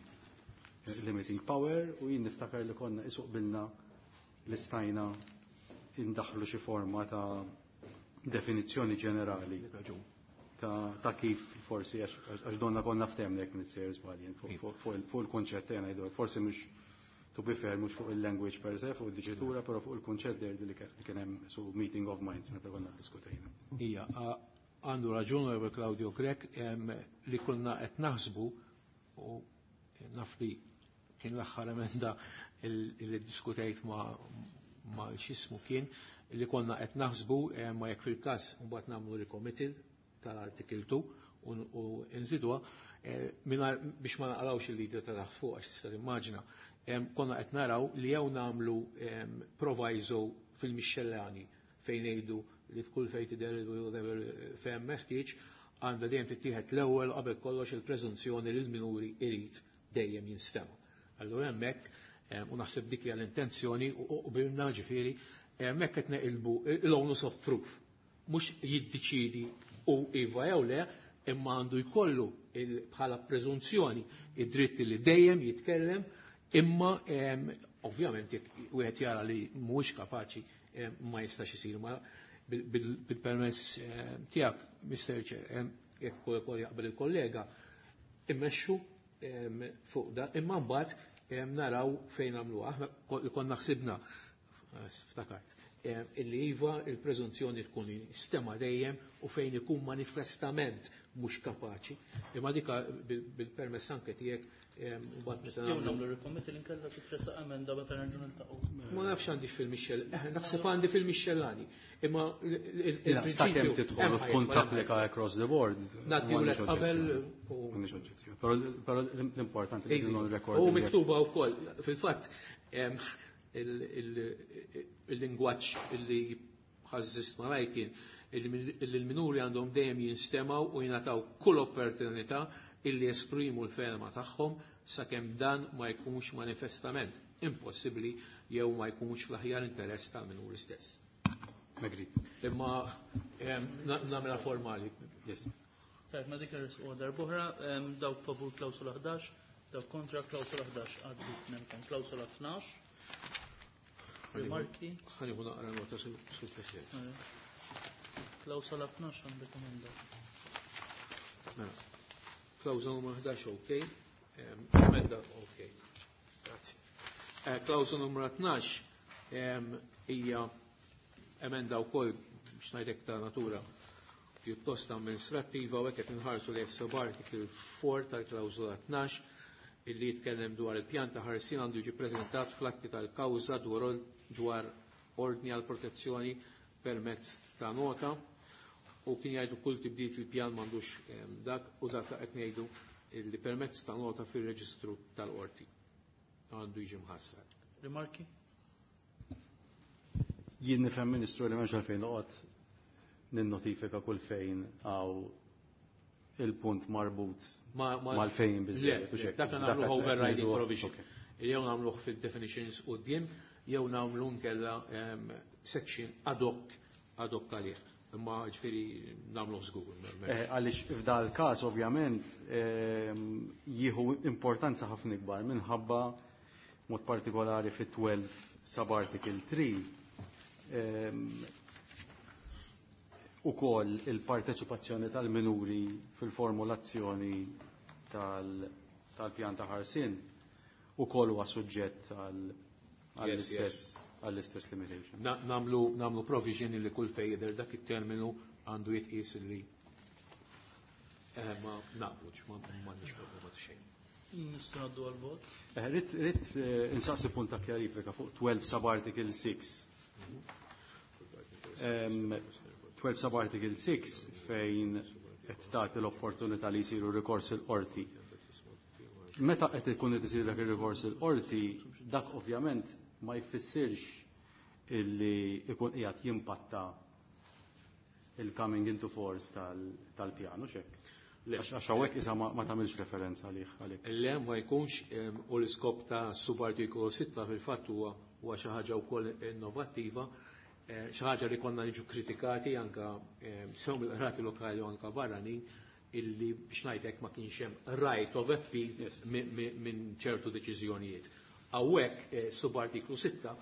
limiting power u jien niftakar li konna isuq bilna li stajna indaħlu xi forma ta' definizzjoni ġenerali ta', ta kif forsi għax donna konna ftemna jekk nissejjer żbaljen fuq il-konċett ngħidu forsi mhux to be fair mhux fuq il-language per se, fuq il-diċitura, però fuq il-konċett der li kien hemm su meeting of minds meta konna diskutejna. Ija, għandu raġun Onorevole Claudio Grech li konna qed naħsbu u naf li kien l-aħħar emenda li diskutejt ma' ma' x'ismu kien li konna qed naħsbu ma jekk fil-każ mbagħad nagħmlu recommittal tal-artikel two u nżidwa biex ma naqrawx il-lider ta' taħt fuq għax tista' timmaġina. Konna qed naraw li jew nagħmlu proviso fil-mixxellani fejn ngħidu li f'kull fejn tidher whatever fejn meħtieġ għandha dejjem tittieħed l-ewwel qabel kollox il-preżunzjoni li l-minuri irid dejjem jinstema'. Allura hemmhekk u naħseb dik hija l-intenzjoni u qbilna ġifieri hemmhekk qed neqilbu l-onus of proof. Mhux jiddeċidi u iva jew le, imma għandu jkollu bħala preżunzjoni id-dritt li dejjem jitkellem, imma ovvjament jekk wieħed jara li mhuwiex kapaċi ma jistax isir. Ma bil-permess tiegħek, Mister Chair, jekk ukoll jaqbel il-kollega, immexxu fuq da, imma mbagħad naraw fejn nagħmluha. Aħna konna ħsibna, ftakart, illi iva il-preżunzjoni tkun stema dejjem u fejn ikun manifestament mhux kapaċi. Imma dika bil-permess anke tiegħek mbagħad meta Jew nagħmlu recommittal inkella titressaq emenda meta nerġgħu niltaqgħu. Ma nafx għandi fil-mixxel, naħseb għandi fil-mixxellani. Imma il-prinċipju sakemm tidħol tkun tapplika across the board. Ngħaddiwlek qabel m'għandix oġġezzjoni. Però l-importanti li non record. U miktuba wkoll fil-fatt il-lingwaġġ illi ħażżist malaj kien illi l-minuri għandhom dejjem jinstemaw u jingħataw kull opportunità illi jesprimu l-fehma tagħhom sakemm dan ma jkunx manifestament impossibbli jew ma jkunx fl-aħjar interess tal-minuri stess. Agreed. Imma nagħmilha formali. Yes. Tajb, ma dik irrisqu darb'oħra, dawk favur klawsula ħdax, dawk kontra klawsula ħdax għaddi minnkom. Klawsula tnax. Rimarki. Ħaniħu naqra nota sul President. Klawsola tnax għandek emenda. Mela. Klawsola numru ħdax ok. Emenda ok. Grazzi. Klawsola numru tnax hija emenda wkoll biex ngħidlek ta' natura pjuttost amministrattiva u hekk qed inħarsu lejn subarticle four tal-klawsola tnax illi jitkellem dwar il-pjan ta' ħarsien għandu jiġi preżentat fl-atti tal-kawża dwar ordni għal protezzjoni permezz ta' nota u kien jgħidu kull tibdil fil-pjan m'għandux dak u dak qed ngħidu illi permezz ta' nota fir-reġistru tal-qorti għandu jiġi mħassar. Rimarki? Jien nifhem Ministru li m'hemmx għalfejn noqgħod ninnotifika kull fejn għaw il-punt marbut mal-fejn biżżejjed. Dak nagħmlu overriding provision. Jew nagħmluh fil-definitions quddiem, jew nagħmlu nkella section ad hoc ad hoc għalih. Imma ġifieri nagħmluh żgur. Għaliex f'dal każ ovvjament jieħu importanza ħafna ikbar minħabba mod partikolari fit twelve subarticle three u koll il-parteċipazzjoni tal-minuri fil-formulazzjoni tal-pjan ta' ħarsien u koll huwa suġġett għall-istess għall-istess limitation. Namlu, namlu provision li kull fejn jidher dak it-terminu għandu jitqies li ma naqblu, ma m'għandniex problema ta' xejn. Nistgħu ngħaddu għall-vot. Rrid rrid insaqsi punt ta' kjarifika fuq twelve sub-article six. twelve sub-article six fejn qed tagħti l-opportunità li jsiru rikors il-qorti. Meta qed ikun qed isir dak ir-rikors il-qorti, dak ovvjament ma jfissirx illi ikun qiegħed jimpatta il-coming into force tal-pjanu xek. Għax hawnhekk isa ma tagħmilx referenza għalih għalik. Le ma jkunx, u l-iskop ta' subartikolu sitta fil-fatt huwa huwa xi ħaġa wkoll innovattiva, xi ħaġa li konna niġu kritikati anka sew mill-qrati lokali u anka barranin, illi biex ngħidlek ma kienx hemm right of appeal minn ċertu deċiżjonijiet. Hawnhekk subartiklu sitta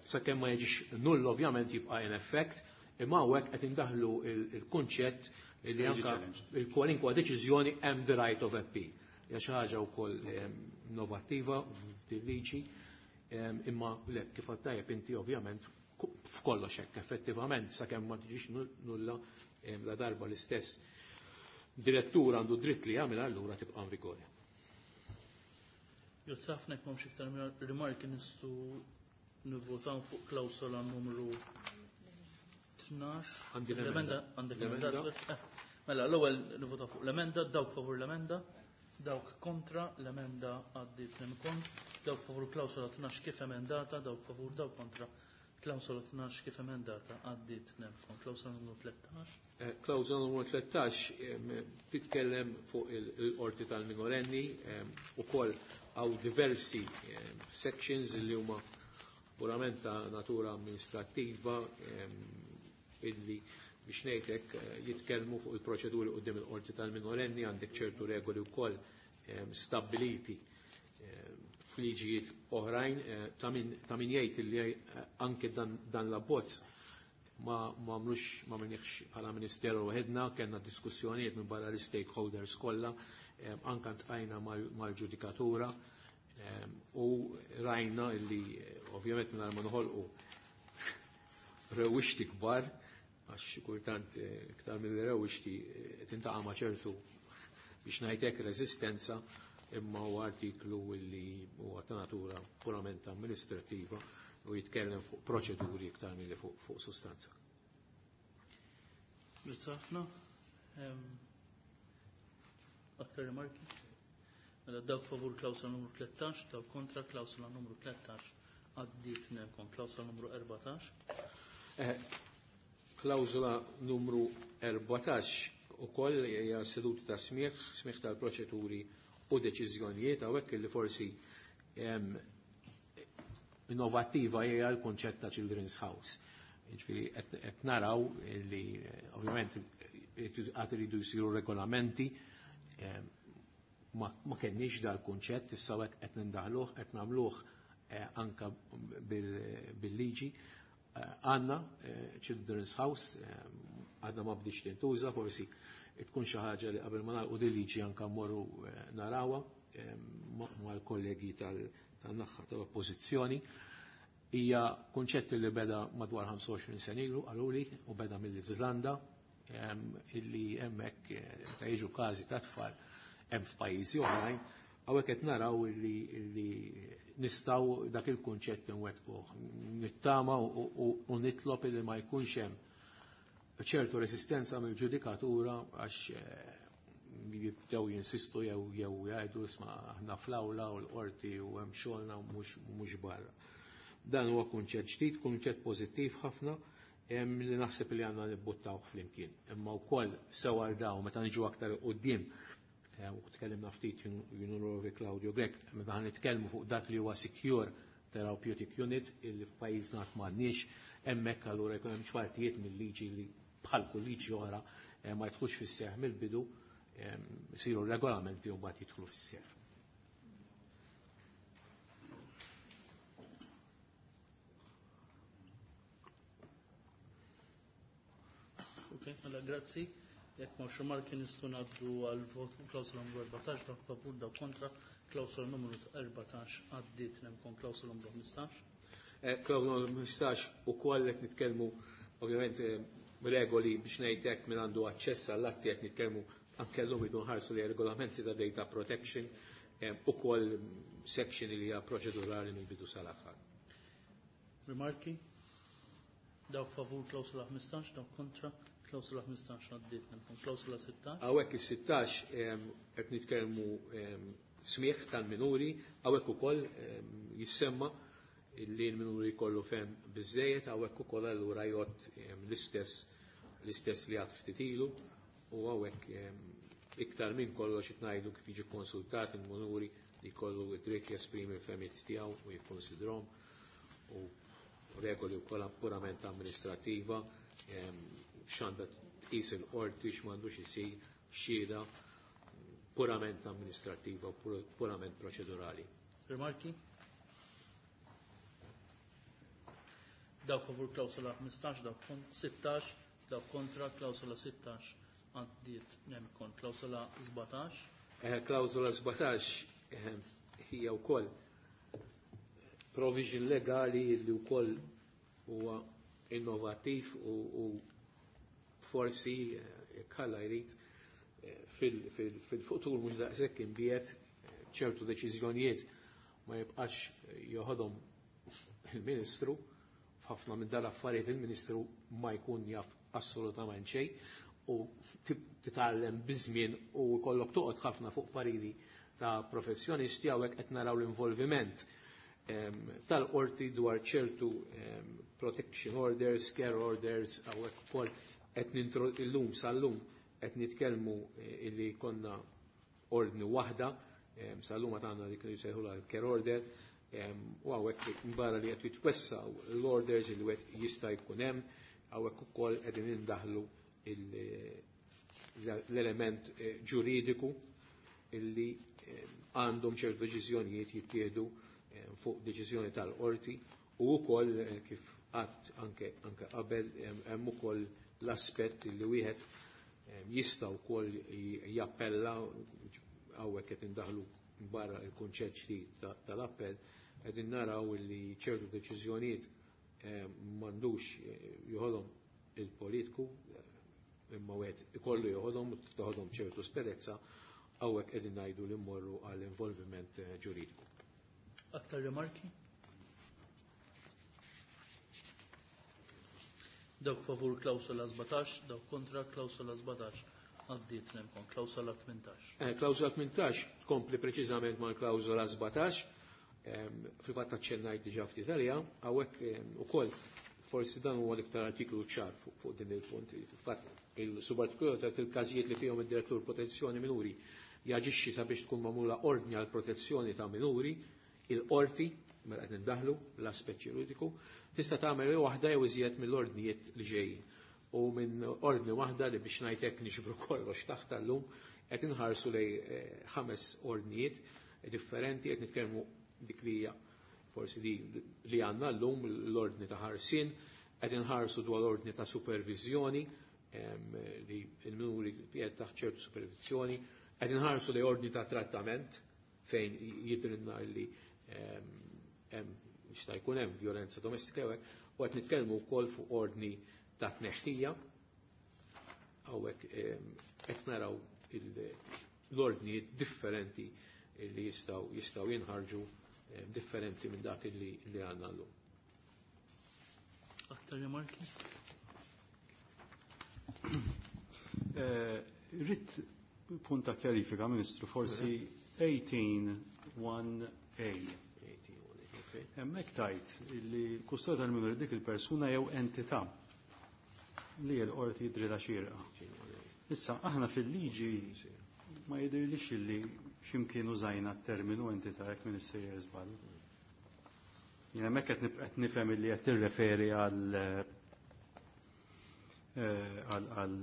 sakemm ma jiġix null ovvjament jibqa' in effect, imma hawnhekk qed indaħlu il-kunċett li anka il-kwalinkwa deċiżjoni hemm the right of appeal. Hija xi ħaġa wkoll innovattiva f'din liġi, imma le kif għad tajjeb inti ovvjament f'kollox hekk effettivament sakemm ma tiġix nulla la darba l-istess direttur għandu dritt li jagħmel allura tibqa' in vigore. Grazzi ħafna, jekk m'hemmx iktar rimarki nistgħu nivvotaw fuq klawsola numru tnax. Għandi l-emenda. Għandek l-emenda. Mela, l-ewwel nivvotaw fuq l-emenda, dawk favur l-emenda, dawk kontra l-emenda għaddiet minn dawk favur klawsola tnax kif emendata, dawk favur, dawk kontra klawsola tnax kif emendata għaddiet minn klawsola numru tlettax. Klawsola numru tlettax titkellem fuq il-qorti tal-minorenni, ukoll għaw diversi sections li huma purament ta' natura amministrattiva illi biex ngħidlek jitkellmu fuq il-proċeduri quddiem il-qorti tal-minorenni, għandek ċertu regoli wkoll stabbiliti f'liġijiet oħrajn, ta' min jgħid illi anke dan l-abbozz ma għamlux, ma għamilniex bħala ministeru waħedna, kellna diskussjonijiet minn barra l-stakeholders kollha, anke ntqajna mal-ġudikatura u rajna illi ovvjament mingħajr ma noħolqu rewwixti kbar, għax xi kultant iktar milli rewwixti tintaqa' ma' ċertu biex ngħidlek reżistenza, imma huwa artiklu illi huwa ta' natura purament amministrattiva u jitkellem fuq proċeduri iktar milli fuq, fuq sostanza. Grazzi ħafna. Aktar rimarki? Mela dawk favur klawsola numru tlettax, dawk kontra klawsola numru tlettax għaddiet nemkom. Klawsola numru erbatax. Klawsola numru erbatax ukoll hija seduta ta' smigħ, smigħ tal-proċeduri u deċiżjonijiet, hawnhekk illi forsi innovattiva hija l-kunċett ta' Children's House. Jiġifieri qed naraw li ovvjament qatt iridu jsiru regolamenti, ma kenniex dal-kunċett, issa hekk qed nindaħluh, qed nagħmluh anka bil-liġi. Għandna Children's House, għadna ma bdiċ tintuża, forsi tkun xi ħaġa li qabel ma nagħlqu din liġi anke mmorru narawha mal-kollegi tan-naħa tal-Oppożizzjoni. Hija kunċett li beda madwar ħamsa u għoxrin sena ilu qaluli u beda mill-Iżlanda, illi hemmhekk meta jiġu każi ta' tfal hemm f'pajjiżi oħrajn, hawnhekk qed naraw illi nistgħu dak il-kunċett inwettquh. Nittama u nitlob illi ma jkunx hemm ċertu resistenza mill-ġudikatura għax jibdew jinsistu jew jew jgħidu isma' aħna fl-awla u l-qorti u hemm xogħolna u mhux barra. Dan huwa kunċett ġdid, kunċett pożittiv ħafna, li naħseb li għandna nibbuttawh flimkien. Imma wkoll sew għal dawn meta niġu aktar quddiem, u tkellimna ftit Junurovi Claudio Grech, meta ħan nitkellmu fuq dak li huwa Secure Therapeutic Unit illi f'pajjiżna qatt m'għandniex, hemmhekk allura jkun hemm partijiet mill-liġi li bħal kull liġi oħra ma jidħlux fis-seħħ mill-bidu, isiru regolamenti u mbagħad jidħlu fis-seħħ. Ok, mela grazzi. Jekk m'hawnx rimarki nistgħu ngħaddu għal vot fuq klawsola numru erbatax, dawk favur, dawk kontra, klawsola numru erbatax għaddiet nemkom klawsola numru ħmistax. Klawsola numru ħmistax ukoll qed nitkellmu ovvjament regoli biex ngħid hekk min għandu aċċess għall-atti, qed nitkellmu anke llum idu nħarsu li regolamenti ta' data protection, ukoll section li hija proċedurali mill-bidu sal-aħħar. Rimarki? Dawk favur klawsola ħmistax, dawk kontra klawsola ħmistax għaddiet nemkom. Klawsola sittax. Hawnhekk is-sittax qed nitkellmu smieħ tal-minuri, hawnhekk ukoll jissemma li l-minuri jkollu fem biżejjed, hawnhekk ukoll allura jgħod l-istess l-istess li għad ftit ilu, u hawnhekk iktar minn kollox qed ngħidu kif jiġi konsultat il-minuri li jkollu id-dritt jesprimi l-fehmiet tiegħu u jikkonsidrhom, u regoli wkoll purament amministrativa, x'għandha tqis il-qorti, x'm'għandux isir, xhieda purament amministrativa u purament proċedurali. Rimarki? Dawk favur klawsola ħmistax, dawk sittax, dawk kontra klawsola sittax għaddiet nemkon. Klawsola sbatax. Klawsola sbatax hija wkoll provision legali li wkoll huwa innovattiv u, u forsi jekk Alla jrid fil-futur mhux daqshekk imbiet ċertu deċiżjonijiet ma jibqax joħodhom il-Ministru. F'ħafna minn dal-affarijiet il-Ministru ma jkun jaf assolutament xejn u titgħallem biż-żmien u jkollok toqgħod ħafna fuq pariri ta' professjonisti. Hawnhekk qed naraw l-involviment tal-qorti dwar ċertu protection orders, care orders, hawnhekk ukoll qed nintro illum sal-lum qed nitkellmu illi konna ordni waħda, sal-lum għad għandna dik li jsejħulha l-care order, u hawnhekk barra li qed jitwessaw l-orders li wieħed jista' jkun hemm, hawnhekk ukoll qegħdin indaħlu l-element ġuridiku illi għandhom ċertu deċiżjonijiet jittieħdu fuq deċiżjoni tal-qorti, u wkoll kif qatt anke anke qabel hemm ukoll l-aspett li wieħed jista' wkoll jappella. Hawnhekk qed indaħlu barra il-kunċett ġdid tal-appell, qegħdin naraw li ċertu deċiżjonijiet m'għandux joħodhom il-politiku, imma wieħed ikollu joħodhom u toħodhom ċertu sperezza. Hawnhekk qegħdin ngħidu li mmorru għall involviment ġuridiku. Aktar rimarki? Dawk favur klawsola sbatax, dawk kontra klawsola sbatax. Għaddiet nemkon, klawsola tmintax. Klawsola tmintax tkompli preċiżament mal-klawsola sbatax, fil-fatt aċċennajt diġà ftit għaliha, hawnhekk ukoll forsi dan huwa l-iktar artiklu ċar fuq din il-punt. Fil-fatt il-subartiklu ta' il-każijiet li fihom id-direttur protezzjoni minuri jaġixxi sabiex tkun magħmula ordni għal protezzjoni ta' minuri, il-qorti, mela qed nindaħlu l-aspett ġuridiku, tista' tagħmel waħda jew iżjed mill-ordnijiet li ġejjin. U minn ordni waħda li biex ngħid hekk nixbru kollox taħt llum qed inħarsu lej ħames ordnijiet differenti, qed nitkellmu dik li hija forsi di li għandna llum l-ordni ta' ħarsien, qed inħarsu dwar l-ordni ta' supervizjoni li l-minuri qiegħed taħt ċertu supervizjoni, qed inħarsu lej ordni ta' trattament fejn jidrinna li hemm jista' jkun hemm violenza domestika hekk, u qed nitkellmu wkoll fuq ordni ta' tneħħija. Hawnhekk qed naraw l-ordnijiet differenti li jistgħu jistgħu jinħarġu differenti minn dak li li għandna llum. Aktar rimarki? Rrid punta kjarifika, Ministru, forsi eighteen one A. Hemmhekk tajt li l-kustodja tal-minuri dik il-persuna jew entità li l-qorti jidrilha xierqa. Issa aħna fil-liġi ma jidhirlix li x'imkien użajna t-terminu entità jekk min issejjer żball. Jien hemmhekk qed qed nifhem li qed tirreferi għal għal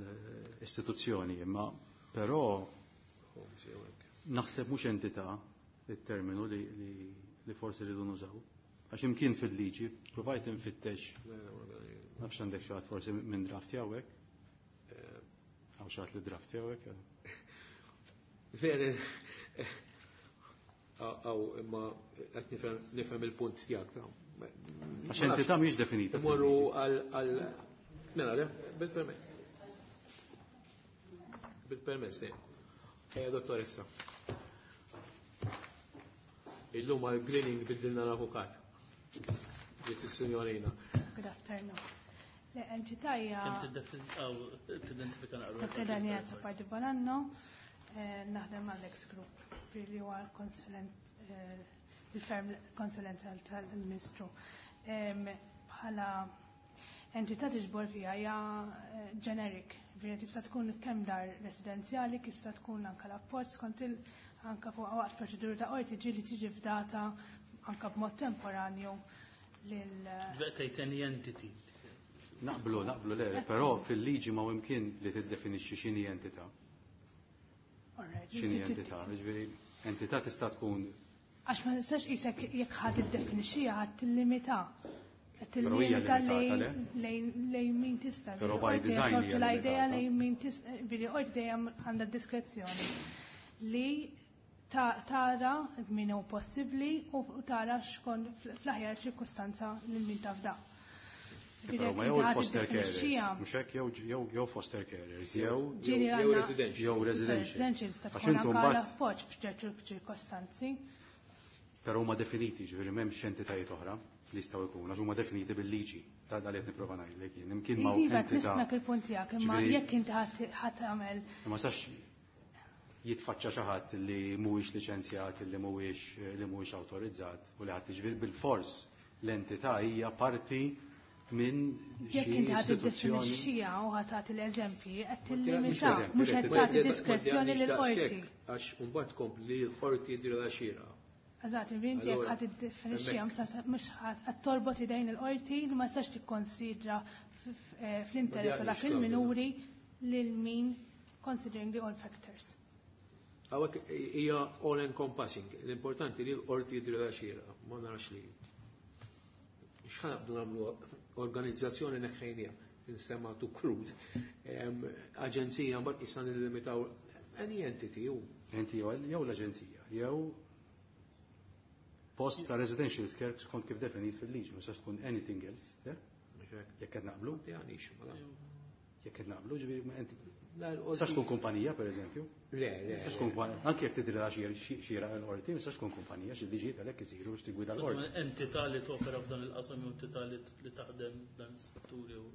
istituzzjoni, imma però naħseb mhux entità it-terminu li, li, li forsi rridu nużaw. Għax imkien fil-liġi, provajt infittex, nafx għandek xi ħadd forsi minn draft jawek. Għaw xi ħadd li draft jawek. Veri, għaw, imma qed nifhem il-punt tiegħek. Għax entità mhijiex definita. Imorru għal għal mela, le, bil-permess. Bil-permess, le. Ejja, dottoressa. Illum għal greening biddilna l-avukat. Ġiet is-sinjorina. Good afternoon. Le, entità hija. Tidentifika naqra. Dottor Daniela Azzopardi Bonanno, naħdem mal-Ex Group, li huwa konsulent il-ferm konsulent tal-Ministru. Bħala entità tiġbor fiha hija generic, ġifieri tista' tkun kemm dar residenzjali, tista' tkun anke l-appoġġ skont il anke fuq waqt proċedura ta' qorti ġieli tiġi fdata anke b'mod temporanju lil Tgħid any entity. Naqblu, naqblu le, però fil-liġi ma imkien li tiddefinixxi x'inhi entità. X'inhi entità, ġifieri entità tista' tkun Għax ma tistax qisek jekk ħadd iddefinixxiha ħadd tillimita. Tillimita lejn min tista'. Però by design hija l-idea lejn min tista', ġifieri qorti dejjem għandha diskrezzjoni li tara min hu possibbli u tara xkun fl-aħjar ċirkustanza lil min tafda. Però ma jew il-foster carers, mhux hekk jew jew foster carers, jew jew residential. Jew residential. Tista' tkun anke l-appoġġ f'ċertu ċirkostanzi. Però huma definiti, ġifieri m'hemmx entitajiet oħra li jistgħu jkunu, għax huma definiti bil-liġi. Ta' dal qed nipprova ngħidlek jien. Imkien ma' Iva, nifhmek il-punt tiegħek, imma jekk inti ħadd tagħmel. Ma sax jitfaċċa xi ħadd li mhuwiex liċenzjat, li mhuwiex li mhuwiex awtorizzat u li ħadd jiġifieri bil-fors l-entità hija parti minn xi Jekk inti ħadd tiddefinixxiha u ħadd tagħti l-eżempji, qed tillimita, mhux qed tagħti diskrezzjoni lill-qorti. Għax imbagħad tkompli l-qorti jidhrilha xierqa. Eżatt, inti jekk ħadd tiddefinixxiha mhux qed torbot idejn il-qorti li ma tistax tikkonsidra fl-interess ta' dak il-minuri lil min considering the all factors. Hawnhekk hija all encompassing. L-importanti li l-qorti jidhrilha xierqa, ma narax li. X'ħa naqbdu nagħmlu organizzazzjoni neħħejnija, tinstema' too crude. Aġenzija mbagħad issa nillimitaw any entity u. Enti jew l-aġenzija, jew post ta' residential care skont kif definit fil-liġi, ma sax tkun anything else, jekk qed naqblu. Jekk qed naqblu, ġifieri enti. Sax tkun kumpanija, per eżempju? Le, le. Sax tkun anke jekk tidrilha xi l-qorti, ma sax tkun kumpanija, xi liġijiet għalhekk isiru biex tigwida l-qorti. Entità li topera f'dan il-qasam jew entità li taħdem dan is-setturi u.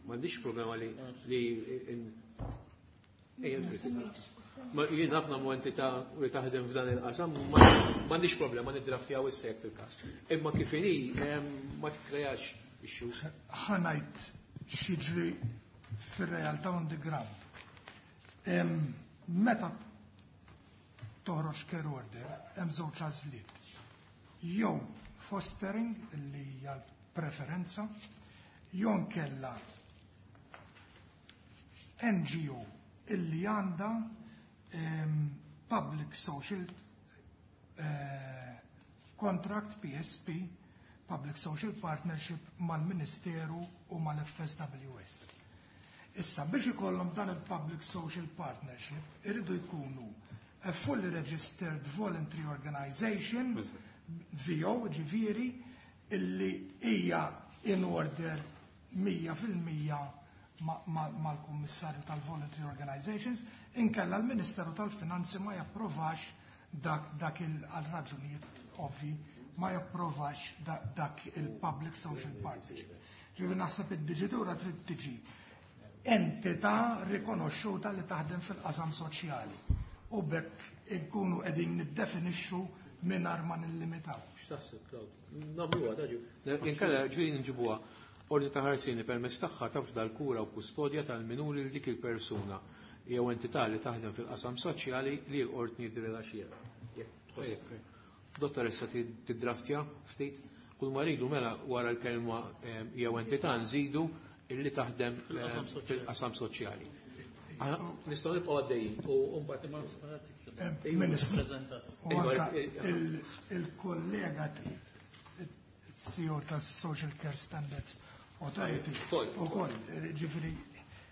M'għandix problema li li Ma jien ħafna mu entità li taħdem f'dan il-qasam, m'għandix problema niddraftjaw issa fil-każ. Imma kif inhi ma tikkreax issues. Ħa ngħid x'jiġri fir-realtà on the ground. Meta toħroġ care order, hemm żewġ għażliet. Jew fostering li hija preferenza, jew nkella N G O illi għandha Public Social uh, Contract P S P, Public Social Partnership mal-Ministeru u mal-F S W S. Issa, biex ikollhom dan il-Public Social Partnership, irridu jkunu a fully registered voluntary organization, V O, ġifieri, illi hija in order mija fil-mija mal-Kummissarju tal-Voluntary Organizations, inkella l-Ministeru tal-Finanzi ma japprovax dak, dak il-raġunijiet ovvi, ma japprovax dak il-Public Social Partnership. Ġifieri naħseb id-diġitura trid tiġi entità rikonoxxuta li taħdem fil-qasam soċjali. U b'hekk inkunu qegħdin niddefinixxu mingħajr ma nillimitaw. X'taħseb, Claude? Nagħmluha, daġu. Inkella ġieli nġibuha ordni ta' ħarsien permezz tagħha tafda l-kura u kustodja tal-minuri lil dik il-persuna jew entità li taħdem fil-qasam soċjali li l-qorti jidhrilha xierqa. Dottoressa tiddraftja ftit, kull ma rridu mela wara l-kelma jew entità nżidu illi taħdem fil-qasam soċjali. Nistgħu nibqgħu għaddejjin u mbagħad Ministru, u anka il-kollega C E O tas Social Care Standards Authority u koll, ġifieri,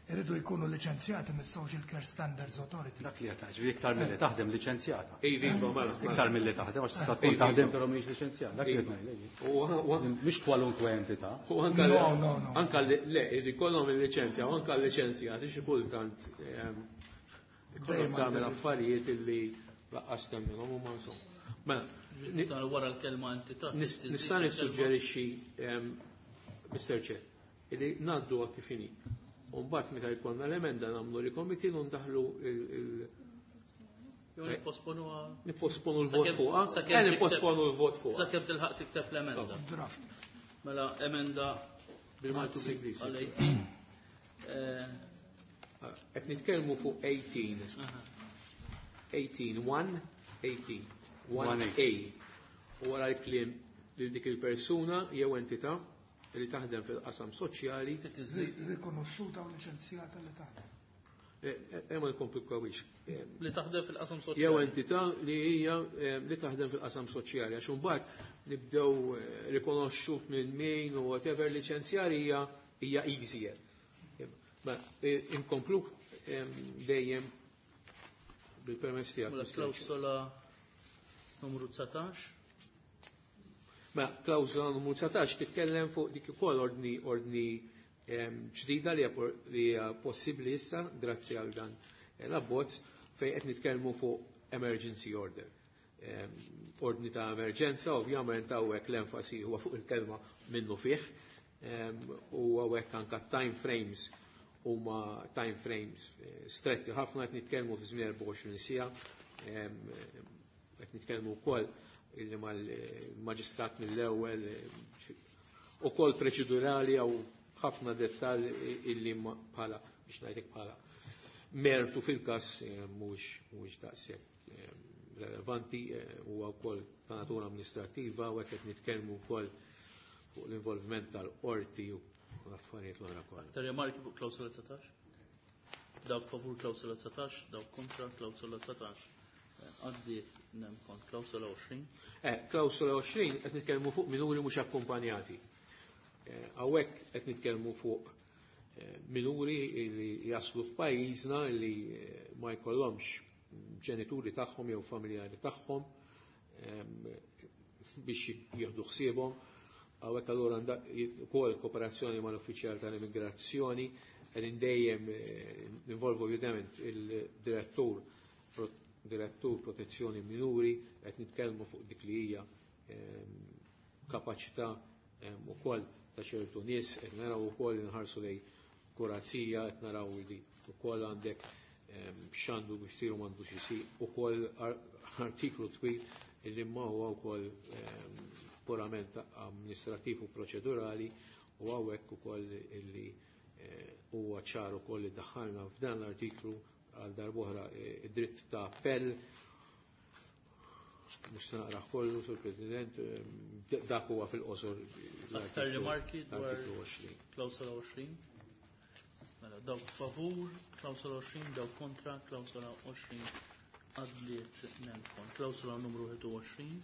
irridu jkunu liċenzjati mis-Social Care Standards Authority. Dak li qed ġifieri iktar milli taħdem liċenzjata. Iva, mela. Iktar milli taħdem, għax tista' tkun taħdem però mhix liċenzjata. Dak li qed ngħidlek. Mhix kwalunkwe entità. U anka No, no, no. Anka le, irid ikollhom il-liċenzja, u anka l-liċenzjati xi kultant ikollhom tagħmel affarijiet illi laqqas temminhom u ma insomma. Mela, wara l-kelma entità. Nista' nissuġġerixxi, Mister Chair, illi ngħaddu kif inhi. U mbagħad meta jkollna l-emenda nagħmlu recommittee u ndaħlu il- Nipposponu Nipposponu l-vot fuqha. Eh, nipposponu l-vot fuqha. Sakemm tilħaq tikteb l-emenda. Draft. Mela emenda bil-Malti bl-Ingliż. Għal eighteen. Qed nitkellmu fuq eighteen. Eighteen, one, eighteen. One A. U wara l-kliem lil dik il-persuna jew entità li taħdem fil-qasam soċjali. Rikonoxxuta u liċenzjata li taħdem. Eh, ma nkomplikawix. Li taħdem fil-qasam soċjali. Jew entità li hija li taħdem fil-qasam soċjali, għax imbagħad nibdew rikonoxxut minn min u whatever liċenzjar hija hija easier. Ma inkomplu dejjem bil-permess tiegħek. Mela klawsola numru dsatax. Ma klawsola numru dsatax titkellem fuq dik ukoll ordni ordni ġdida li hija possibbli issa grazzi għal dan l-abbozz fejn qed nitkellmu fuq emergency order. Ordni ta' emerġenza, ovvjament hawnhekk l-enfasi huwa fuq il-kelma minnu fih, u hawnhekk anke time frames huma time frames stretti ħafna, qed nitkellmu fi żmien erbgħa u għoxrin siegħa, qed nitkellmu wkoll illi mal-maġistrat mill-ewwel ukoll proċedurali jew ħafna dettall illi bħala biex ngħidlek bħala mertu fil-każ mhuwiex mhuwiex daqshekk relevanti, huwa wkoll ta' natura amministrattiva u hekk qed nitkellmu wkoll fuq l-involviment tal-qorti u l-affarijiet l-oħra kollha. Aktar rimarki fuq klawsola dsatax? Dawk favur klawsola dsatax, dawk kontra klawsola dsatax. Għaddiet nemkont klawsola għoxrin. Eh, klawsola għoxrin qed nitkellmu fuq minuri mhux akkumpanjati. Hawnhekk qed nitkellmu fuq minuri li jaslu f'pajjiżna li ma jkollhomx ġenituri tagħhom jew familjari tagħhom biex jieħdu ħsiebhom. Hawnhekk allura ukoll kooperazzjoni mal-uffiċjal tal-immigrazzjoni qegħdin dejjem ninvolvu ovvjament il-direttur direttur protezzjoni minuri, qed nitkellmu fuq dik li hija kapaċità ukoll ta' ċertu nies, qed naraw ukoll inħarsu lej kurazija, qed naraw li ukoll għandek x'għandu biex isiru m'għandux isir, ukoll artiklu twil illi ma huwa wkoll purament amministrativ u proċedurali, u hawnhekk ukoll illi huwa ċar ukoll li daħħalna f'dan l-artiklu għal darb'oħra id-dritt ta' appell. Mhux se naqra kollu, Sur President, dak huwa fil-qosor. Aktar rimarki dwar Artiklu għoxrin. klawsola għoxrin. Mela, dawk favur, klawsola għoxrin, dawk kontra, klawsola għoxrin għaddiet nemkon. Klawsola numru wieħed u għoxrin.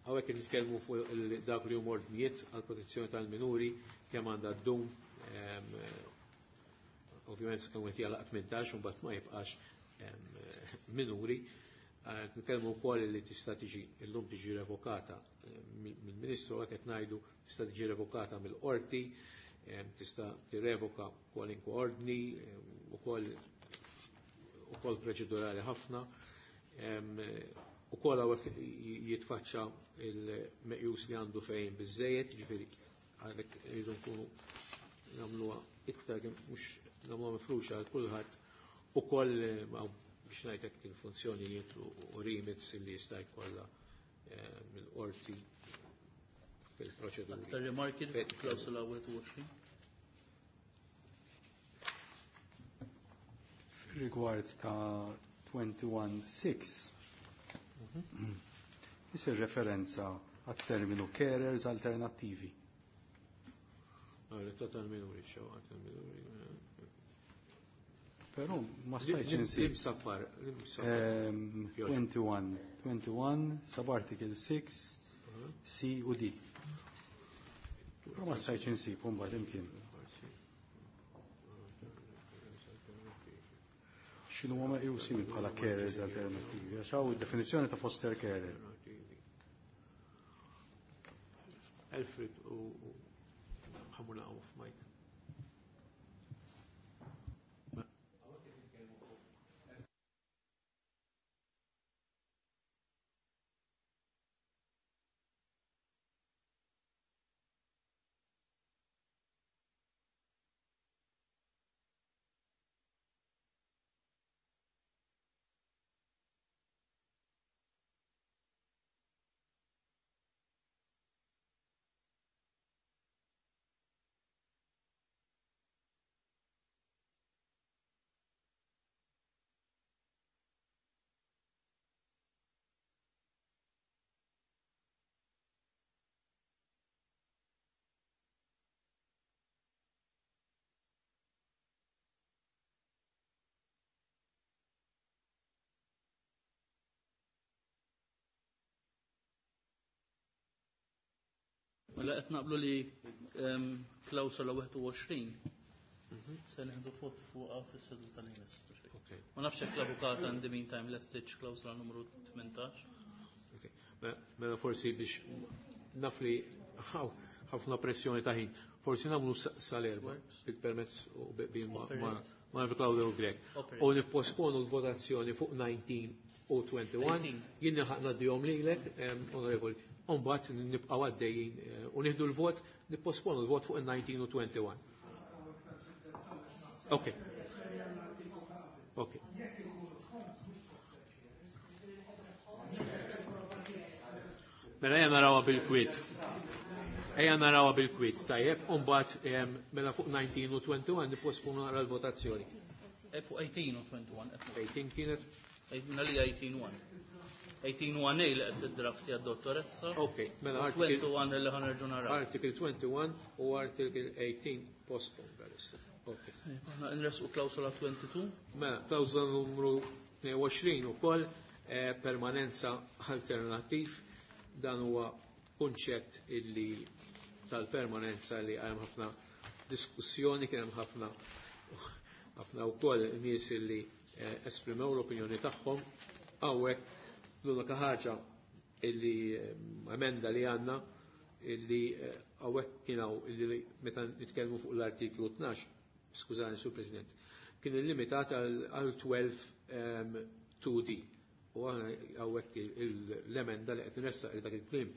Hawnhekk qed nitkellmu fuq dak li huma ordnijiet għall protezzjoni tal-minuri kemm għandha ddum, ovvjament kemm qed jagħlaq tmintax u mbagħad ma jibqax minuri. Nitkellmu wkoll li tista' tiġi illum tiġi revokata mill-Ministru, hekk qed ngħidu tista' tiġi revokata mill-qorti, tista' tirrevoka kwalinkwe ordni, ukoll ukoll proċedurali ħafna. Ukoll hawnhekk jitfaċċa il-meqjus li għandu fejn biżżejjed, ġifieri għalhekk irridu nkunu nagħmluha iktar mhux nagħmluha mifruxa għal kulħadd, ukoll biex ngħidlek il-funzjonijiet u remits li jista' jkollha mill-qorti fil-proċeduri. Aktar rimarki klawsola wieħed u għoxrin? Rigward ta' twenty-one six, isir referenza għat-terminu carers alternattivi. Għalli, ta' tal-minuri, xew, tal-minuri. Però ma stajtx insib. Lim safar, lim safar. Ehm, twenty-one, twenty-one, sub-article six, C u D. Però ma stajtx insib, mbagħad imkien. X'inhu huma meqjusin bħala carers alternattivi? Għax hawn id-definizzjoni ta' foster carer. Alfred u ħamuna off mic. Mela qed naqblu li klawsola wieħed u għoxrin se nieħdu vot fuqha fis-seduta li jmiss. Ma nafx hekk l-avukat għandi meantime lestiċ klawsola numru tmintax. Mela forsi biex naf li ħafna pressjoni ta' ħin, forsi nagħmlu sal-erba' bil-permezz u ma' Claudio Grech. U nipposponu l-votazzjoni fuq nineteen u twenty-one, jien nilħaq ngħaddihom lilek, onorevoli, u mbagħad nibqgħu għaddejjin u nieħdu l-vot, nipposponu l-vot fuq il-nineteen u twenty-one. Ok. Ok. Mela ejja narawha bil-kwiet. Ejja narawha bil-kwiet, tajjeb, u mbagħad mela fuq nineteen u twenty-one nipposponu naqra l-votazzjoni. Fuq eighteen u twenty-one. eighteen kienet? Minna li eighteen one. eighteen one A li qed tiddrafti għad-dottoressa. Ok, mela article twenty-one li ħanerġu naraw. Article twenty-one u article eighteen postponed għalissa. Ok. Aħna nresqu klawsola twenty-two. Mela, klawsola numru tnejn u għoxrin ukoll permanenza alternattiv. Dan huwa kunċett illi tal-permanenza li hemm ħafna diskussjoni, kien hemm ħafna ħafna wkoll nies illi esprimew l-opinjoni tagħhom. Hawnhekk l-unika ħaġa illi emenda li għandna illi hawnhekk kien hawn illi meta nitkellmu fuq l-artiklu tnax, skużani Sur President, kien illimitat għal twelve two D. U aħna hawnhekk l-emenda li qed nressaq li dak il-kliem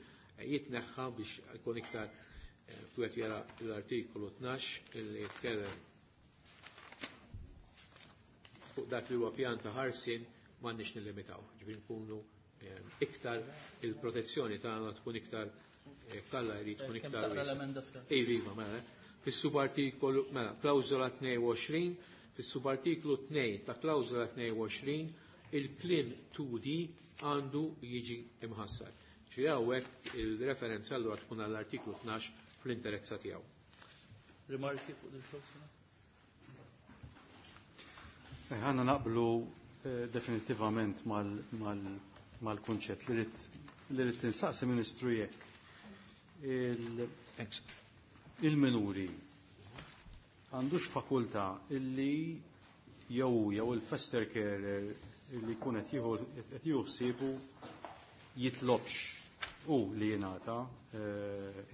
jitneħħa biex ikun iktar wieħed jara l-artiklu tnax illi jitkellem fuq dak li huwa pjan ta' ħarsien m'għandniex nillimitaw. Ġifieri nkunu iktar il-protezzjoni tagħna tkun iktar kalla jrid tkun iktar. Iva, mela. Fis-subartikolu mela klawżola tnejn u għoxrin, fis-subartiklu tnejn ta' klawżola tnejn u għoxrin il-kliem two D għandu jiġi imħassar. Ġifieri hawnhekk il-referenza allura tkun għall-artiklu tnax fl-interezza tiegħu. Rimarki fuq il-klawżola? Ħanna naqblu definitivament mal-kunċett li rrid tinsaqsi Ministru jekk il-minuri għandux fakultà illi jew jew il-foster carer illi jkun qed jieħu ħsiebu jitlobx u li jingħata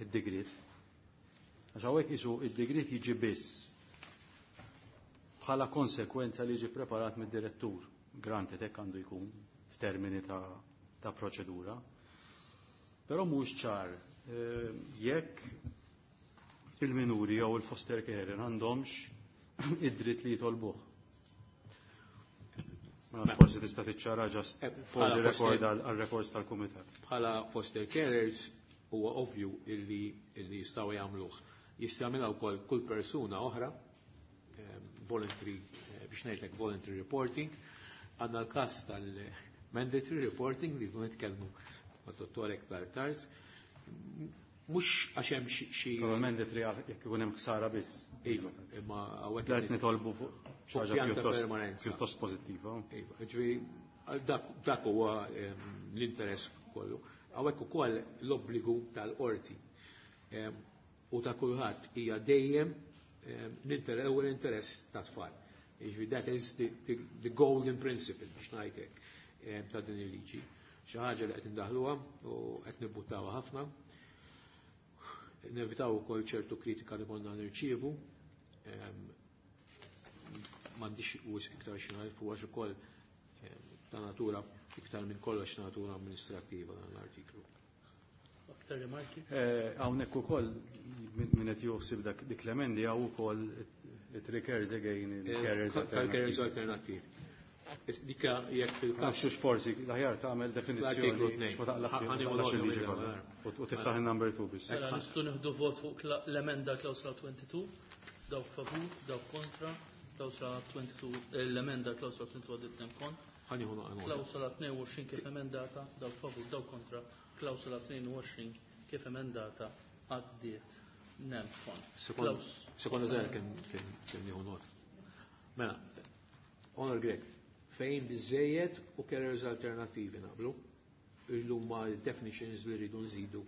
id-digrit. Għax hawnhekk isu id-digrit jiġi biss bħala konsekwenza li jiġi preparat mid-direttur, granted hekk għandu jkun f'termini ta', ta' proċedura. Però mhux ċar jekk il-minuri jew il-foster carer għandhomx id-dritt li jitolbuh. Ma forsi tista' tiċċara just for the record għal-records tal-kumitat. Bħala foster carers huwa ovvju illi illi jistgħu jagħmluh. Jista' jagħmilha wkoll kull persuna oħra, voluntary, biex ngħidlek voluntary reporting. Għandna l-każ tal-mandatory reporting li jkun nitkellmu mad-dottor iktar tard. Mhux għax hemm xi mandatory jekk ikun hemm ħsara biss. Iva, imma hawnhekk qed nitolbu fuq xi ħaġa pjuttost pożittiva. Iva, ġifieri dak huwa l-interess kollu. Hawnhekk ukoll l-obbligu tal-qorti u ta' kulħadd hija dejjem l-ewwel interess ta' tfal. Jiġifieri that is the, the, the golden principle biex ngħidlek ta' din il-liġi. Xi ħaġa li qed indaħluha u qed nibbuttawha ħafna. Nevitaw ukoll ċertu kritika li konna nirċievu. M'għandix wisq iktar xi ngħid fuq għax ukoll ta' natura iktar minn kollox natura amministrattiva dan l-artiklu. Aktar rimarki? Hawnhekk ukoll min qed joħsib dak dik l-emendi hawn ukoll it recurs again il-carriers alternattivi. Alternattivi. Dika jekk fil-każ xux forsi l-aħjar tagħmel definizzjoni ma taqlaqx il-liġi kollha u tiftaħ il-number two biss. Mela nistgħu nieħdu vot fuq l-emenda klawsla twenty-two, dawk favur, dawk kontra, klawsla twenty-two, l-emenda klawsla twenty-two għaddiet nemkon. Klawsola tnejn u għoxrin kif emendata, dawk favur, dawk kontra, klawsola tnejn u għoxrin kif emendata għaddiet nemkon. Sekonda żgħir kien kien nieħu not. Mela, Honor Grech, fejn biżejjed u carriers alternattivi naqblu, illum ma definitions li rridu nżidu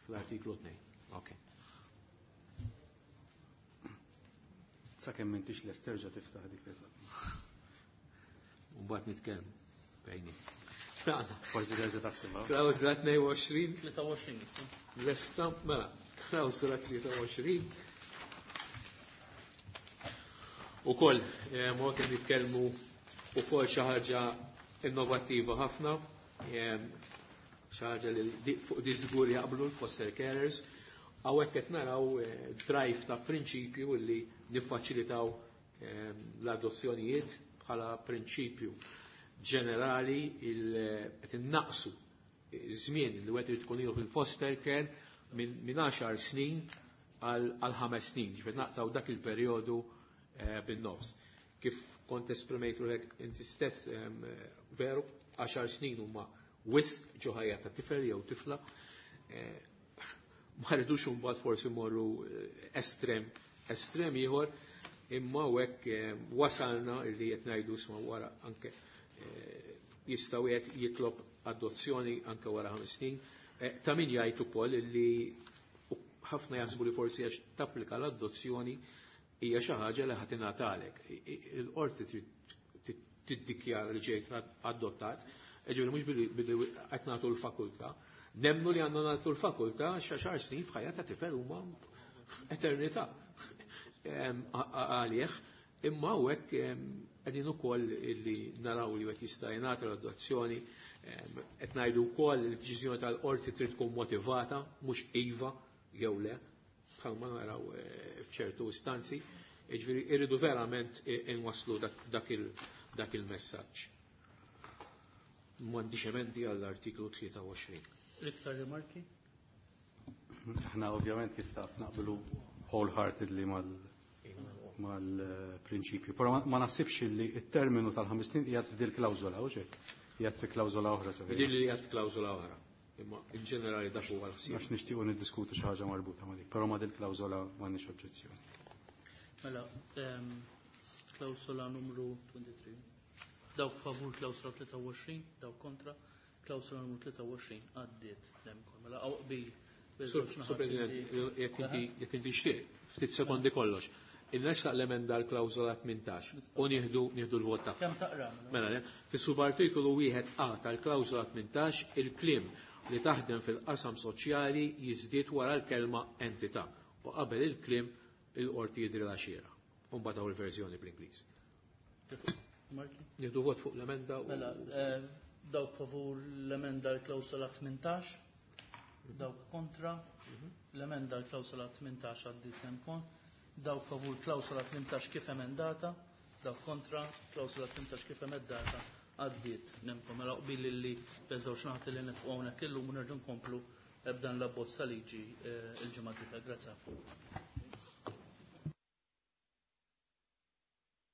fl-artiklu tnejn. Ok. Sakemm m'intix lest terġa' tiftaħ dik il U mbagħad nitkellmu bejni. Forsi terġa' taħsibha. Klawżola tnejn u għoxrin. tlieta u għoxrin issa. Lesta, mela, klawżola tlieta u għoxrin. Ukoll, ma kien nitkellmu ukoll xi ħaġa innovattiva ħafna, xi ħaġa li fuq di żgur jaqblu l-foster carers. Hawnhekk qed naraw drive ta' prinċipju li niffaċilitaw l-adozzjonijiet bħala prinċipju ġenerali, qed innaqsu żmien li wieħed irid tkun ilu fil-foster care minn għaxar snin għal ħames snin, ġifier naqtaw dak il-perjodu bin-nofs. Kif kont esprimejt ruħek inti stess, veru, għaxar snin huma wisq ġo ħajja ta' tifel jew tifla. Ma rridux imbagħad forsi morru estrem, estrem ieħor, imma hekk wasalna li qed ngħidu isma' wara anke jistgħu qed jitlob adozzjoni anke wara ħames snin. Ta' min jgħid ukoll li ħafna jaħsbu li forsi għax tapplika l-adozzjoni hija xi ħaġa li ħadd ingħatalek. Il-qorti trid tiddikjara li ġejt adottat, ġifieri mhux billi qed nagħtu l-fakultà. Nemnu li għandna nagħtu l-fakultà għaxar snin f'ħajja ta' tifel huma eternità għalih, imma hawnhekk qegħdin ukoll li naraw li wieħed jista' jingħata l-adozzjoni, qed ngħidu wkoll li d-deċiżjoni tal-qorti trid tkun motivata, mhux iva jew le, bħalma naraw f'ċertu istanzi, ġifieri irridu verament inwasslu dak il-messaġġ. M'għandix emendi għall-artiklu tlieta u għoxrin. Iktar rimarki? Aħna ovvjament kif taf naqblu wholeheartedly mal-prinċipju. Però ma naħsibx li it-terminu tal-ħames snin qiegħed f'dil klawżola, u xejn? Qiegħed fi klawżola oħra sa. Din li qiegħed fi klawżola oħra. Imma in ġenerali dak huwa l-ħsieb. Għax nixtiequ niddiskutu xi ħaġa marbuta ma' dik, però ma' dil klawżola m'għandniex oġġezzjoni. Mela, klawżola numru tlieta u għoxrin. Dawk favur klawżola tlieta u għoxrin, dawk kontra, klawżola numru tlieta u għoxrin għaddiet. Mela, hawn qbil. Sur President, jekk inti jekk inti xtieq, ftit sekondi kollox. Innessaq l-emenda l-klawżola tmintax u nieħdu nieħdu l-vot tagħha. Kemm taqra? Mela, fis-subartikolu wieħed A tal-klawżola tmintax, il-kliem li taħdem fil-qasam soċjali jiżdied wara l-kelma entità u qabel il-kliem il-qorti jidri la xieraq. U mbagħad hawn il-verżjoni bl-Ingliż. Marki? Nieħdu vot fuq l-emenda u Mela, dawk favur l-emenda l-klawsola tmintax, dawk kontra, l-emenda l-klawsola tmintax għaddiet nemkon, dawk favur klawsola tmintax kif emendata, dawk kontra, klawsola tmintax kif emendata għaddiet nemkom. Mela qbil li beżgħu naħat li nibqgħu hawnhekk illum u nerġgħu nkomplu b'dan l-abbozz ta' liġi il-ġimgħa d-dieħla. Grazzi ħafna.